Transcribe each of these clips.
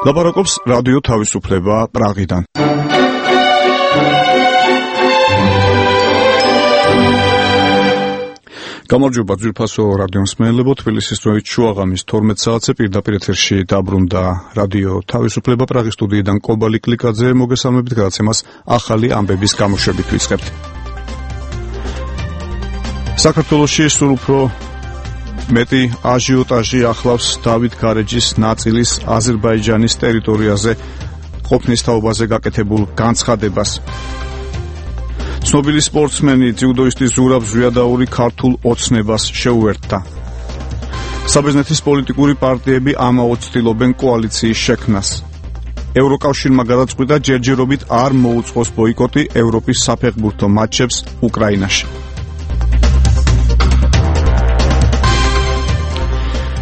ლაპარაკობს რადიო თავისუფლება პრაღიდან. გამარჯობა ძვირფასო რადიო მსმენელებო, თბილისის დროით შუაღამის 12 საათზე პირდაპირ ეთერში დაბრუნდა რადიო თავისუფლება პრაღის სტუდიიდან კობალი კლიკაძე. მოგესალმებით, გადაცემას ახალი ამბების გამოშვებით ვიწყებთ. საქართველოში სულ უფრო მეტი აჟიოტაჟი ახლავს დავით გარეჯის ნაწილის აზერბაიჯანის ტერიტორიაზე ყოფნის თაობაზე გაკეთებულ განცხადებას. ცნობილი სპორტსმენი ძიუდოისტი ზურაბ ზვიადაური ქართულ ოცნებას შეუერთდა. საბერძნეთის პოლიტიკური პარტიები ამაოდ ცდილობენ კოალიციის შექმნას. ევროკავშირმა გადაწყვიტა ჯერჯერობით არ მოუწყოს ბოიკოტი ევროპის საფეხბურთო მატჩებს უკრაინაში.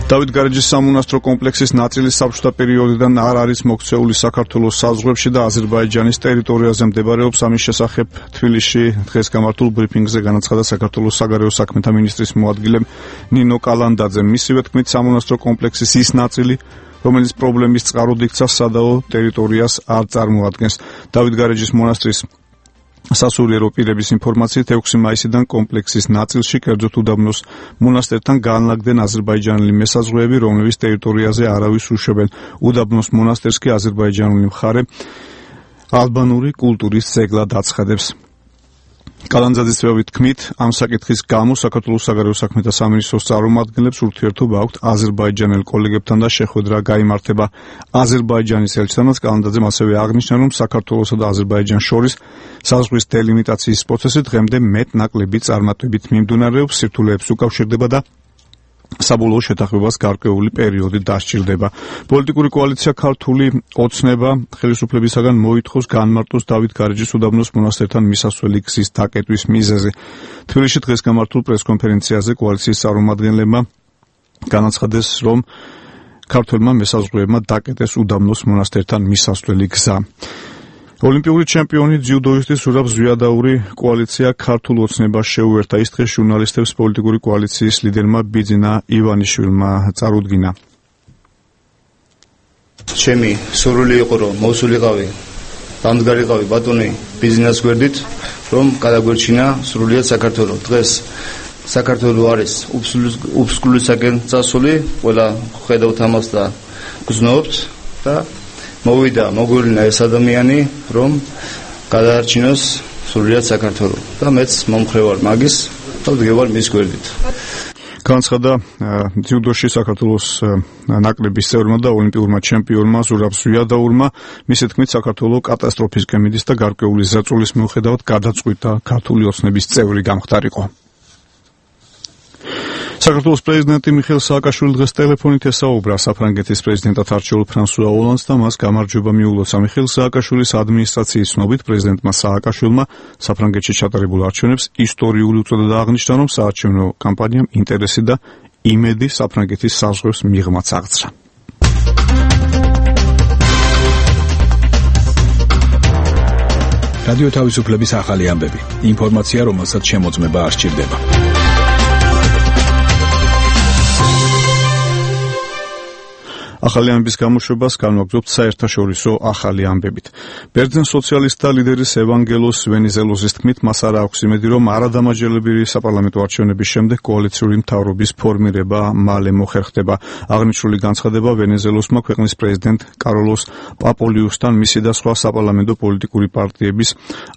დავით გარეჯის სამონასტრო კომპლექსის ნაწილი საბჭოთა პერიოდიდან არ არის მოქცეული საქართველოს საზღვრებში და აზერბაიჯანის ტერიტორიაზე მდებარეობს. ამის შესახებ თბილისში დღეს გამართულ ბრიფინგზე განაცხადა საქართველოს საგარეო საქმეთა მინისტრის მოადგილე ნინო კალანდაძე. მისივე თქმით, სამონასტრო კომპლექსის ის ნაწილი, რომელიც პრობლემის წყაროდ იქცა, სადაო ტერიტორიას არ წარმოადგენს. დავით გარეჯის მონასტრის სასულიერო პირების ინფორმაციით 6 მაისიდან კომპლექსის ნაწილში, კერძოდ უდაბნოს მონასტერთან განლაგდნენ აზერბაიჯანელი მესაზღვრეები, რომლებიც ტერიტორიაზე არავის უშვებენ. უდაბნოს მონასტერს კი აზერბაიჯანული მხარე ალბანური კულტურის ძეგლად აცხადებს. კალანდაძის თქმით, თქმით, ამ საკითხის გამო საქართველოს საგარეო საქმეთა სამინისტროს წარმომადგენლებს ურთიერთობა აქვთ აზერბაიჯანელ კოლეგებთან და შეხვედრა გაიმართება აზერბაიჯანის ელჩთანაც. კალანდაძემ ასევე აღნიშნა, რომ საქართველოსა და აზერბაიჯანს შორის საზღვრის დელიმიტაციის პროცესი დღემდე მეტ-ნაკლები წარმატებით მიმდინარეობს, სირთულეებს უკავშირდება და საბოლოო შეთანხმებას გარკვეული პერიოდი დასჭირდება. პოლიტიკური კოალიცია ქართული ოცნება ხელისუფლებისაგან მოითხოვს განმარტოს დავით გარეჯის უდაბნოს მონასტერთან მისასვლელი გზის დაკეტვის მიზეზი. თბილისში დღეს გამართულ პრესკონფერენციაზე კოალიციის წარმომადგენლებმა განაცხადეს, რომ ქართველმა მესაზღვრეებმა დაკეტეს უდაბნოს მონასტერთან მისასვლელი გზა. ოლიმპიური ჩემპიონი ძიუდოისტი ზურაბ ზვიადაური კოალიცია ქართულ ოცნებას შეუერთდა. ის დღეს ჟურნალისტებს პოლიტიკური კოალიციის ლიდერმა ბიძინა ივანიშვილმა წარუდგინა. ჩემი სურვილი იყო, რომ მოვსულიყავი, დამდგარიყავი ბატონი ბიძინას გვერდით, რომ გადაგვერჩინა სრულიად საქართველო. დღეს საქართველო არის უფსკვლისაკენ წასული, ყველა ხედავთ ამას და გრძნობთ და მოვიდა მოგვირინა ეს ადამიანი, რომ გადაარჩინოს სრულიად საქართველო და მეც მომხრევარ მაგის და ვდგევარ მის გვერდით. განცხადა ძიუდოში საქართველოს ნაკრების წევრმა და ოლიმპიურმა ჩემპიონმა ზურაბ ზვიადაურმა. მისი თქმით, საქართველო კატასტროფისკენ მიდის და გარკვეული ზეწოლის მიუხედავად გადაწყვიტა ქართული ოცნების წევრი გამხდარიყო. საქართველოს პრეზიდენტი მიხეილ სააკაშვილი დღეს ტელეფონით ესაუბრა საფრანგეთის პრეზიდენტად არჩეულ ფრანსუა ოლანდს და მას გამარჯვება მიულოცა. მიხეილ სააკაშვილის ადმინისტრაციის ცნობით, პრეზიდენტმა სააკაშვილმა საფრანგეთში ჩატარებულ არჩევნებს ისტორიული უწოდება აღნიშნა, რომ საარჩევნო კამპანიამ ინტერესი და იმედი საფრანგეთის საზღვრებს მიღმაც აღძრა. რადიო თავისუფლების ახალი ამბები. ინფორმაცია, რომელსაც შემოწმება არ სჭირდება. ახალი ამბების გამოშვებას განვაგრძობთ საერთაშორისო ახალი ამბებით. ბერძენ სოციალისტთა ლიდერის ევანგელოს ვენიზელოზის თქმით, მას არ აქვს იმედი, რომ არადამაჯერებელი საპარლამენტო არჩევნების შემდეგ კოალიციური მთავრობის ფორმირება მალე მოხერხდება. აღნიშნული განცხადება ვენიზელოსმა ქვეყნის პრეზიდენტ კარლოს პაპოლიუსთან, მისი და სხვა საპარლამენტო პოლიტიკური პარტიების,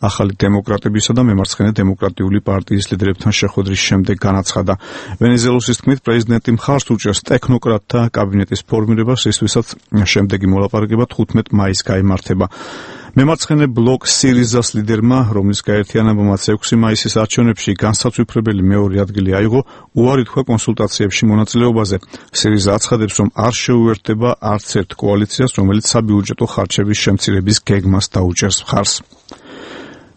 ახალი დემოკრატებისა და მემარცხენე დემოკრატიული პარტიის ლიდერებთან შეხვედრის შემდეგ განაცხადა. ვენიზელოსის თქმით, პრეზიდენტი მხარს უჭერს ტექნოკრატთა კაბინეტის ფორმირებას, ისვისაც შემდეგი მოლაპარაკება 15 მაისს გაიმართება. მემარცხენე ბლოკ სირიზას ლიდერმა, რომლის გაერთიანებამაც 6 მაისის არჩევნებში განსაცვიფრებელი მეორე ადგილი აიღო, უარი თქვა კონსულტაციებში მონაწილეობაზე. სირიზა აცხადებს, რომ არ შეუერთდება არც ერთ კოალიციას, რომელიც საბიუჯეტო ხარჯების შემცირების გეგმას დაუჭერს მხარს.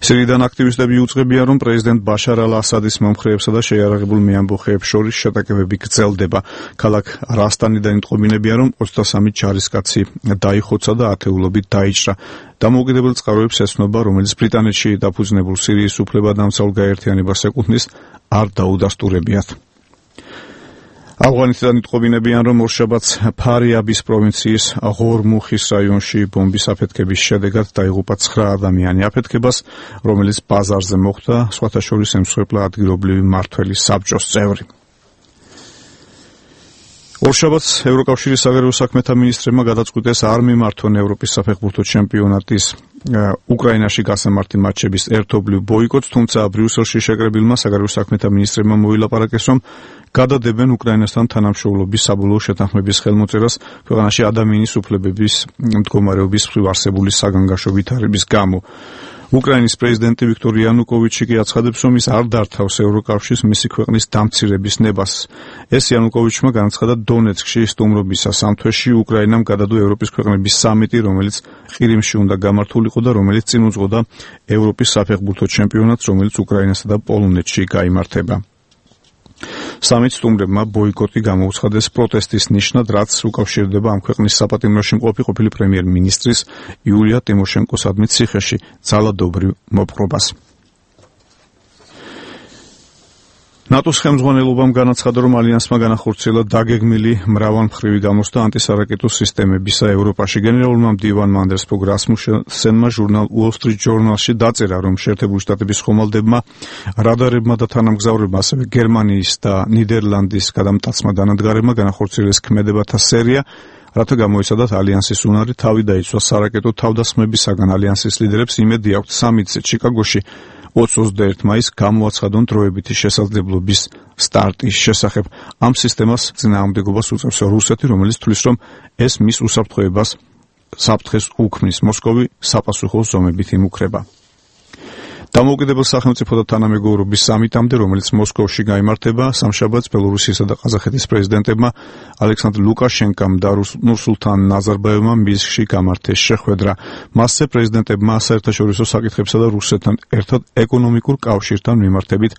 სირიიდან აქტივისტები უწყებიან, რომ პრეზიდენტ ბაშარ ალ-ასადის მომხრეებსა და შეიარაღებულ მეამბოხეებს შორის შეტაკებები გრძელდება. ქალაქ რასტანიდან იტყობინებიან, რომ 23 ჯარისკაცი დაიხოცა და ათეულობით დაიჭრა. დამოუკიდებელ წყაროებს ეცნობა, რომელიც ბრიტანეთში დაფუძნებულ სირიის უფლებადამცავ გაერთიანებას ეკუთვნის, არ დაუდასტურებიათ. ავღანეთიდან იტყობინებიან, რომ ორშაბათს ფარიაბის პროვინციის ღორმუხის რაიონში ბომბის აფეთქების შედეგად დაიღუპა 9 ადამიანი. აფეთქებას, რომელიც ბაზარზე მოხდა, სხვათა შორის ემსხვერპლა ადგილობრივი მმართველი საბჭოს წევრი. ორშაბათს ევროკავშირის საგარეო საქმეთა მინისტრებმა გადაწყვიტეს არ მიმართონ ევროპის საფეხბურთო ჩემპიონატის უკრაინაში გასამართი მატჩების ერთობლივ ბოიკოტს, თუმცა ბრიუსელში შეკრებილმა საგარეო საქმეთა მინისტრებმა მოილაპარაკეს, რომ გადადებენ უკრაინასთან თანამშრომლობის საბოლოო შეთანხმების ხელმოწერას ქვეყანაში ადამიანის უფლებების მდგომარეობის მხრივ არსებული საგანგაშო ვითარების გამო. უკრაინის პრეზიდენტი ვიქტორ იანუკოვიჩი კი აცხადებს, რომ ის არ დართავს ევროკავშირს მისი ქვეყნის დამცირების ნებას. ეს იანუკოვიჩმა განაცხადა დონეცკში სტუმრობისას. ამ თვეში უკრაინამ გადადო ევროპის ქვეყნების სამიტი, რომელიც ყირიმში უნდა გამართულიყო და რომელიც წინ უძღოდა ევროპის საფეხბურთო ჩემპიონატს, რომელიც უკრაინასა და პოლონეთში გაიმართება. სამით სტუმრებმა ბოიკოტი გამოუცხადეს პროტესტის ნიშნად, რაც უკავშირდება ამ ქვეყნის საპატიმროში მყოფი ყოფილი პრემიერ-მინისტრის იულია ტიმოშენკოს ციხეში ძალადობრივ მოპყრობას. ნატოს ხელმძღვანელობამ განაცხადა, რომ ალიანსმა განახორციელა დაგეგმილი მრავალმხრივი გამოსვლა ანტისარაკეტო სისტემებისა ევროპაში. გენერალურმა მდივანმა ანდერსბურგ რასმუსენმა ჟურნალ Wall Street Journal-ში დაწერა, რომ შეერთებული შტატების ხომალდებმა, რადარებმა და თანამგზავრებმა, ასევე გერმანიის და ნიდერლანდის გადამტაცმა დანადგარებმა განახორციელეს ქმედებათა სერია, რათა გამოიცადათ ალიანსის უნარი თავი დაიცვა სარაკეტო თავდასხმებისაგან. ალიანსის ლიდერებს იმედი აქვთ სამიტზე ჩიკაგოში 21 მაისს გამოაცხადონ დროებითი შესაძლებლობის სტარტის შესახებ. ამ სისტემას წინააღმდეგობას უწევს რუსეთი, რომელიც თვლის, რომ ეს მის უსაფრთხოებას საფრთხეს უქმნის. მოსკოვი საპასუხო ზომებით იმუქრება. დამოუკიდებელ სახელმწიფო და თანამეგობრობის სამიტამდე, რომელიც მოსკოვში გაიმართება, სამშაბათს ბელორუსიისა და ყაზახეთის პრეზიდენტებმა ალექსანდრ ლუკაშენკამ და ნურსულთან ნაზარბაევმა მინსკში გამართეს შეხვედრა. მასზე პრეზიდენტებმა საერთაშორისო საკითხებსა და რუსეთთან ერთად ეკონომიკურ კავშირთან მიმართებით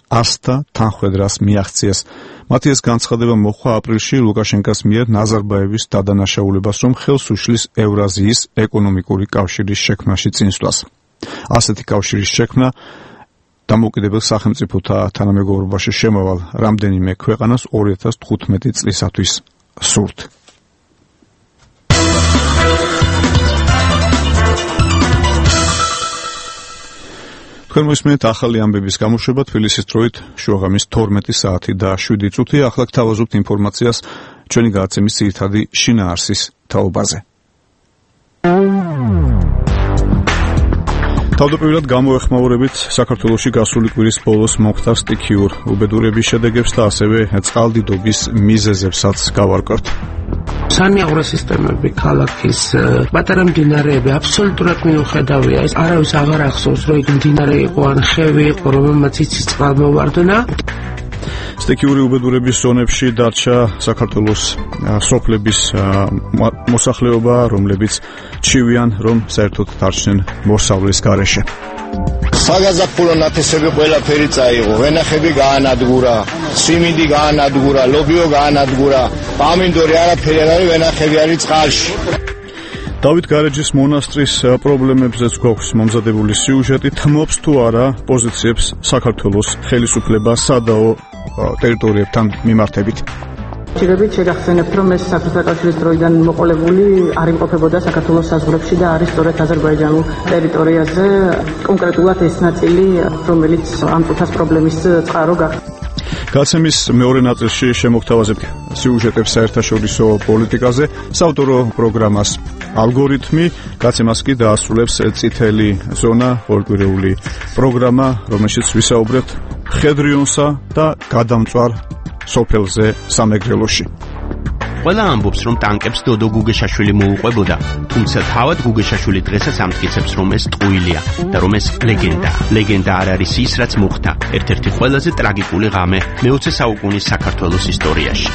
ასთა თანხმედრას მიაღწიეს. მათი ეს განცხადება მოხდა აპრილში ლუკაშენკას მიერ ნაზარბაევის დადანაშაულებას, რომ ხელს უშლის ევრაზიის ეკონომიკური კავშირის შექმნაში წინსვლას. ასეთი კავშირის შექმნა დამოუკიდებელ სახელმწიფოთა თანამეგობრობაში შემავალ რამდენიმე ქვეყანას 2015 წლისათვის სურთ. თქვენ მოსმენთ ახალი ამბების გამოშვება თბილისის დროით შუაღამის 12 საათი და 7 წუთი. ახლა გთავაზობთ ინფორმაციას ჩვენი გადაცემის ძირითადი შინაარსის თაობაზე. თავდაპირველად გამოეხმაურებით საქართველოში გასული კვირის ბოლოს მომხდარ სტიქიურ უბედურების შედეგებს და ასევე წყალდიდობის მიზეზებსაც გავარკვევთ. სამიაღვრო სისტემები, ქალაქის პატარა მდინარეები აბსოლუტურად მიუხედავია. ეს არავის აღარ ახსოვს, რომ იქ მდინარე იყო ან ხევი იყო, რომელმაც იცის წყალმოვარდნა. სტიქიური უბედურების ზონებში დარჩა საქართველოს სოფლების მოსახლეობა, რომლებიც ჩივიან, რომ საერთოდ დარჩნენ მოსავლის გარეშე. საგაზაფხულო ნათესები ყველაფერი წაიღო, ვენახები გაანადგურა, სიმინდი გაანადგურა, ლობიო გაანადგურა, პამინდორი არაფერი არ არის, ვენახები არის წყალში. დავით გარეჯის მონასტრის პრობლემებზეც გვაქვს მომზადებული სიუჟეტი. თმობს თუ არა პოზიციებს საქართველოს ხელისუფლება სადაო ტერიტორიებთან მიმართებით. ჯერებით შეგახსენებთ, რომ ეს საბჭოთა კავშირის დროიდან მოყოლებული არ იმყოფებოდა საქართველოს საზღვრებში და არის სწორედ აზერბაიჯანულ ტერიტორიაზე, კონკრეტულად ეს ნაწილი, რომელიც ამ წუთას პრობლემის წყარო გახდა. გაცემის მეორე ნაწილში შემოგთავაზებთ სიუჟეტებს საერთაშორისო პოლიტიკაზე, საავტორო პროგრამას ალგორითმი, გაცემას კი დაასრულებს წითელი ზონა ორკვირეული პროგრამა, რომელშიც ვისაუბრებთ ხედრიონსა და გადამწვარ სოფელზე სამეგრელოში. ყველა ამბობს, რომ ტანკებს დოდო გუგეშაშვილი მოუყვებოდა, თუმცა თავად გუგეშაშვილი დღესაც ამტკიცებს, რომ ეს ტყუილია და რომ ეს ლეგენდაა. ლეგენდა არ არის ის, რაც მოხდა, ერთ-ერთი ყველაზე ტრაგიკული ღამე მე-20 საუკუნის საქართველოს ისტორიაში.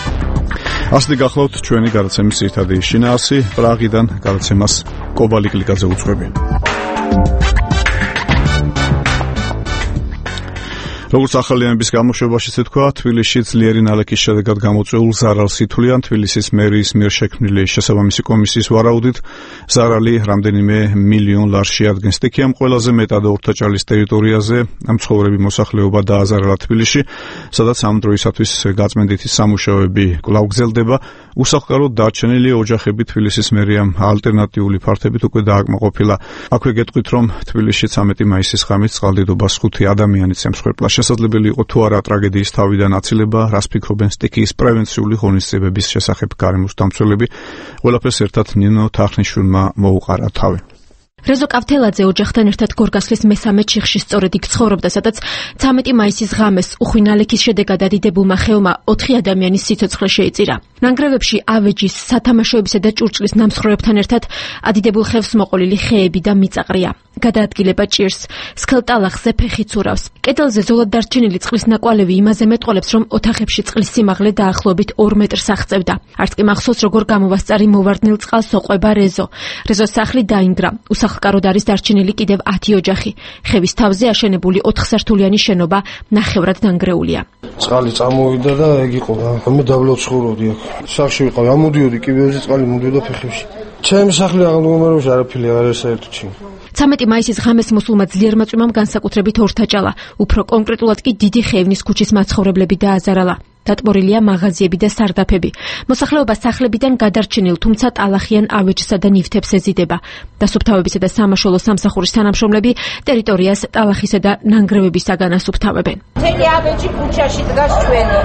ასეთი გახლავთ ჩვენი გადაცემის ძირითადი შინაარსი. პრაღიდან გადაცემას კობალი კლიკაძე უძღვები. როგორც ახალიანების გამოშვებაშიც ეთქვა, თბილისში ძლიერი ნალექის შედეგად გამოწვეულ ზარალს ითვლიან თბილისის მერიის მიერ შექმნილი შესაბამისი კომისიის ვარაუდით. ზარალი რამდენიმე მილიონ ლარს შეადგენს. სტიქიამ ყველაზე მეტად ორთაჭალის ტერიტორიაზე მცხოვრები მოსახლეობა დააზარალა თბილისში, სადაც ამ დროისათვის გაწმენდითი სამუშაოები კვლავ გრძელდება. უსახლკაროდ დარჩენილი ოჯახები თბილისის მერიამ ალტერნატიული ფართებით უკვე დააკმაყოფილა. აქვე გეტყვით, რომ თბილისში 13 მაისის ღამით წყალდიდობას 5 ადამიანიც ემსხვერპლა. შესაძლებელი იყო თუ არა ტრაგედიის თავიდან აცილება, რას ფიქრობენ სტიქიის პრევენციული ღონისძიებების შესახებ გარემოს დამცველები. ყველაფერს ერთად ნინო თახნიშვილმა მოუყარა თავი. რეზო კავთელაძე ოჯახთან ერთად გორგასლის მესამე ჩიხში სწორედ იქ ცხოვრობდა, სადაც 13 მაისის ღამეს უხვი ნალექის შედეგად ადიდებულმა ხევმა 4 ადამიანის სიცოცხლე შეიწირა. ნანგრევებში ავეჯის, სათამაშოებისა და ჭურჭლის ნამსხვრევებთან ერთად ადიდებულ ხევს მოყოლილი ხეები და მიწაყრია. გადაადგილება ჭირს, სქელტალახზე ფეხი ცურავს. კედელზე ზოლად დარჩენილი წყლის ნაკვალევი იმაზე მეტყოლებს, რომ ოთახებში წყლის სიმაღლე დაახლოებით 2 მეტრს აღწევდა. არც კი მახსოვს, როგორ გამოვასწარი მოვარდნილ წყალს ოყვება რეზო. რეზოს სახლი დაინგრა. უსახლკაროდ არის დარჩენილი კიდევ 10 ოჯახი. ხევის თავზე აშენებული 4 სართულიანი შენობა ნახევრად დანგრეულია. წყალი წამოვიდა და ეგ იყო რა. მე დაბლობ ცხოვრობდი აქ. სახლში ვიყავი, ამოდიოდი კიბეებზე წყალი მოდიოდა ფეხებში. ჩემი სახლი აღმომაროში არაფერი არ არის საერთოდ. 13 მაისის ღამეს მოსულმა ძლიერმა წვიმამ განსაკუთრებით ორთაჭალა. უფრო კონკრეტულად კი დიდი ხევნის ქუჩის მაცხოვრებლები დააზარალა. დატბორილია მაღაზიები და სარდაფები. მოსახლეობა სახლებიდან გადარჩენილ, თუმცა ტალახიან ავეჯსა და ნივთებს ეზიდება. დასუფთავებისა და სამაშველო სამსახურის თანამშრომლები ტერიტორიას ტალახისა და ნანგრევებისაგან ასუფთავებენ. მთელი ავეჯი ქუჩაში დგას ჩვენი.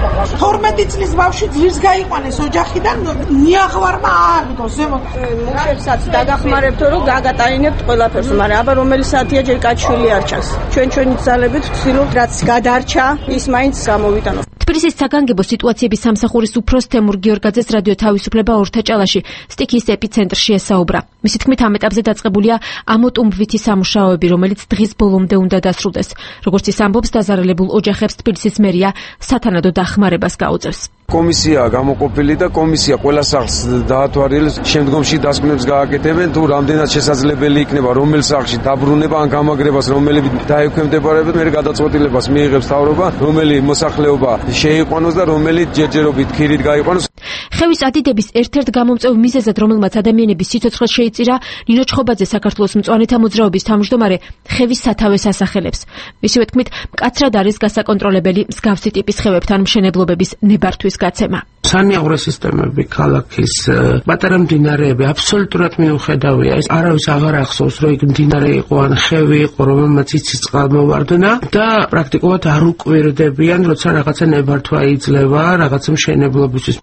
12 წლის ბავშვი ძირს გაიყვანეს ოჯახიდან, ნიაღვარმა ააგდო ზემოთ. მუშებსაც დაგახმარებთო, რომ გაგატანინებთ ყველაფერს, მაგრამ აბა რომელი საათია ჯერ კაჩვილი არ ჩანს. ჩვენი ძალებით ვცდილობთ, რაც გადარჩა, ის მაინც გამოვიტანოთ. თბილისის საგანგებო სიტუაციების სამსახურის უფროს თემურ გიორგაძეს რადიო თავისუფლება ორთაჭალაში სტიქიის ეპიცენტრში ესაუბრა. მისი თქმით, ამ ეტაპზე დაწყებულია ამოტუმბვითი სამუშაოები, რომელიც დღის ბოლომდე უნდა დასრულდეს. როგორც ის ამბობს, დაზარალებულ ოჯახებს თბილისის მერია სათანადო დახმარებას გაუწევს. კომისია გამოყოფილი და კომისია ყველა სახლს დაათვალიერებს, შემდგომში დასკვნებს გააკეთებენ, თუ რამდენად შესაძლებელი იქნება რომელ სახლში დაბრუნება ან გამაგრებას, რომელი დაექვემდებარება, მე გადაწყვეტილებას მიიღებს მთავრობა, რომელი მოსახლეობა შეიყვანოს და რომელი ჯერჯერობით ქირით გაიყვანოს. ხევის ადიდების ერთ-ერთ გამომწვევ მიზეზად, რომელმაც ადამიანების სიცოცხლე შეიწირა, ნინო ჩხობაძე საქართველოს მწვანეთა მოძრაობის თავმჯდომარე ხევის სათავეს ასახელებს. მისივე თქმით, მკაცრად არის გასაკონტროლებელი მსგავსი ტიპის ხევებთან მშენებლობების ნებართვის გაცემა. სანიაღვრე სისტემები, ქალაქის პატარა მდინარეები აბსოლუტურად მიუხედავია. ეს არავის აღარ ახსოვს, რომ იქ მდინარე იყო ან ხევი იყო, რომელმაც იცის წყალმოვარდნა და პრაქტიკულად არ უკვირდებიან, როცა რაღაცა ნებართვა იძლევა რაღაცა მშენებლობისთვის.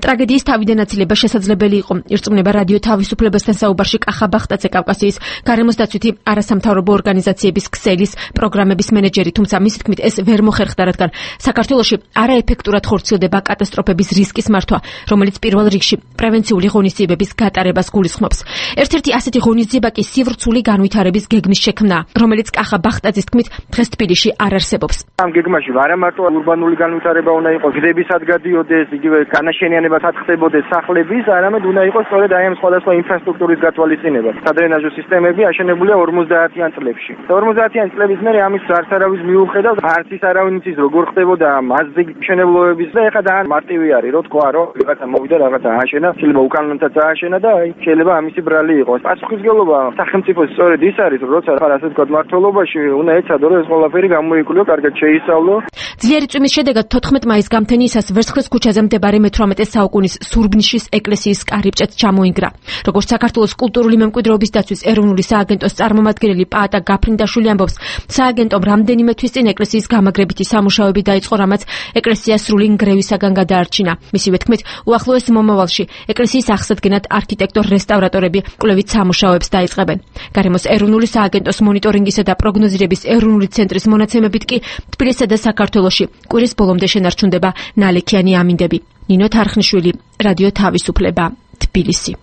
ტრაგედიის თავიდან აცილება შესაძლებელი იყო. ირწმუნება რადიო თავისუფლებასთან საუბარში კახა ბახტაძე, კავკასიის გარემოს დაცვითი არასამთავრობო ორგანიზაციების ქსელის პროგრამების მენეჯერი, თუმცა მისი თქმით ეს ვერ მოხერხდა, რადგან საქართველოში არაეფექტურად ხორციელდება კატასტროფების რისკის მართვა, რომელიც პირველ რიგში პრევენციული ღონისძიებების გატარებას გულისხმობს. ერთ-ერთი ასეთი ღონისძიება კი სივრცული განვითარების გეგმის შექმნა, რომელიც კახა ბახტაძის თქმით დღეს თბილისში არ არსებობს. ამ გეგმაში არა მარტო ურბანული განვითარება უნდა იყოს, გზებისად გადიოდეს, იგივე განაშენიანებასაც ხდებოდეს სახლების, არამედ უნდა იყოს სწორედ აი ამ სხვადასხვა ინფრასტრუქტურის გათვალისწინება. სადრენაჟო სისტემები აშენებულია 50-იან წლებში. 50-იან წლების მერე ამის არც არავის მიუხედავს, არც ის არავინ იცის როგორ ხდებოდა მასზე მშენებლობების და ეხლა ძალიან მარტივი არის, რომ თქვა, რომ რაღაცა მოვიდა, რაღაცა ააშენა, შეიძლება უკანონოდაც ააშენა და აი შეიძლება ამისი ბრალი იყოს. პასუხისმგებლობა სახელმწიფოს სწორედ ის არის, რომ როცა ასე თქვა მმართველობაში უნდა ეცადო, რომ ეს ყველაფერი გამოიკვლიო, კარგად შეისწავლო. ძლიერი წვიმის შედეგად 14 მაის გამთენიისას ვერცხლის ქუჩაზე მდებარე მე-18 საუკუნის სურბნიშის ეკლესიის კარიბჭეც ჩამოინგრა. როგორც საქართველოს კულტურული მემკვიდრეობის დაცვის ეროვნული სააგენტოს წარმომადგენელი პაატა გაფრინდაშვილი ამბობს, სააგენტომ რამდენიმე თვის წინ ეკლესიის გამაგრებითი სამუშაოები დაიწყო, რამაც ეკლესია სრული ნგრევისაგან გადაარჩინა. მისივე თქმით, უახლოეს მომავალში ეკლესიის აღსადგენად არქიტექტორ-რესტავრატორები კვლევით სამუშაოებს დაიწყებენ. გარემოს ეროვნული სააგენტოს მონიტორინგისა და პროგნოზირების ეროვნული ცენტრის მონაცემებით კი თბილისსა და საქართველოში კვირის ბოლომდე შენარჩუნდება ნალექიანი ამინდები. ნინო თარხნიშვილი, რადიო თავისუფლება, თბილისი.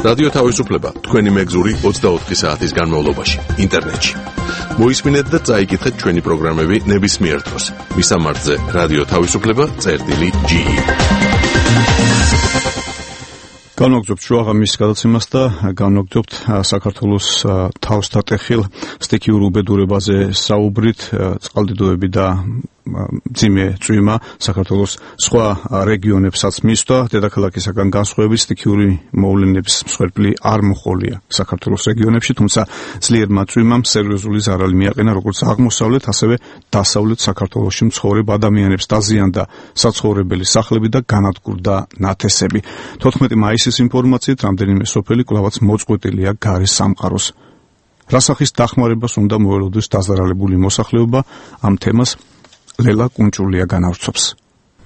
რადიო თავისუფლება, თქვენი მეგზური 24 საათის განმავლობაში, ინტერნეტში. მოისმინეთ და წაიკითხეთ ჩვენი პროგრამები ნებისმიერ დროს. მისამართზე რადიო თავისუფლება.ge განვაგრძობთ შუაღამის გადაცემას და განვაგრძობთ საქართველოს თავსტატეხილ სტიქიურ უბედურებაზე საუბრით, წყალდიდოები და მძიმე წვიმა საქართველოს სხვა რეგიონებსაც მისვდა, დედაქალაქისაგან განსხვავებით სტიქიური მოვლენების მსხვერპლი არ მოჰყოლია საქართველოს რეგიონებში, თუმცა ძლიერმა წვიმამ სერიოზული ზარალი მიაყენა როგორც აღმოსავლეთ, ასევე დასავლეთ საქართველოში მცხოვრებ ადამიანებს, დაზიანდა საცხოვრებელი სახლები და განადგურდა ნათესები. 14 მაისის ინფორმაციით რამდენიმე სოფელი კვლავაც მოწყვეტილია გარე სამყაროს. რასახის დახმარებას უნდა მოელოდეს დაზარალებული მოსახლეობა, ამ თემას ლელა კუნჭულია განავრცობს.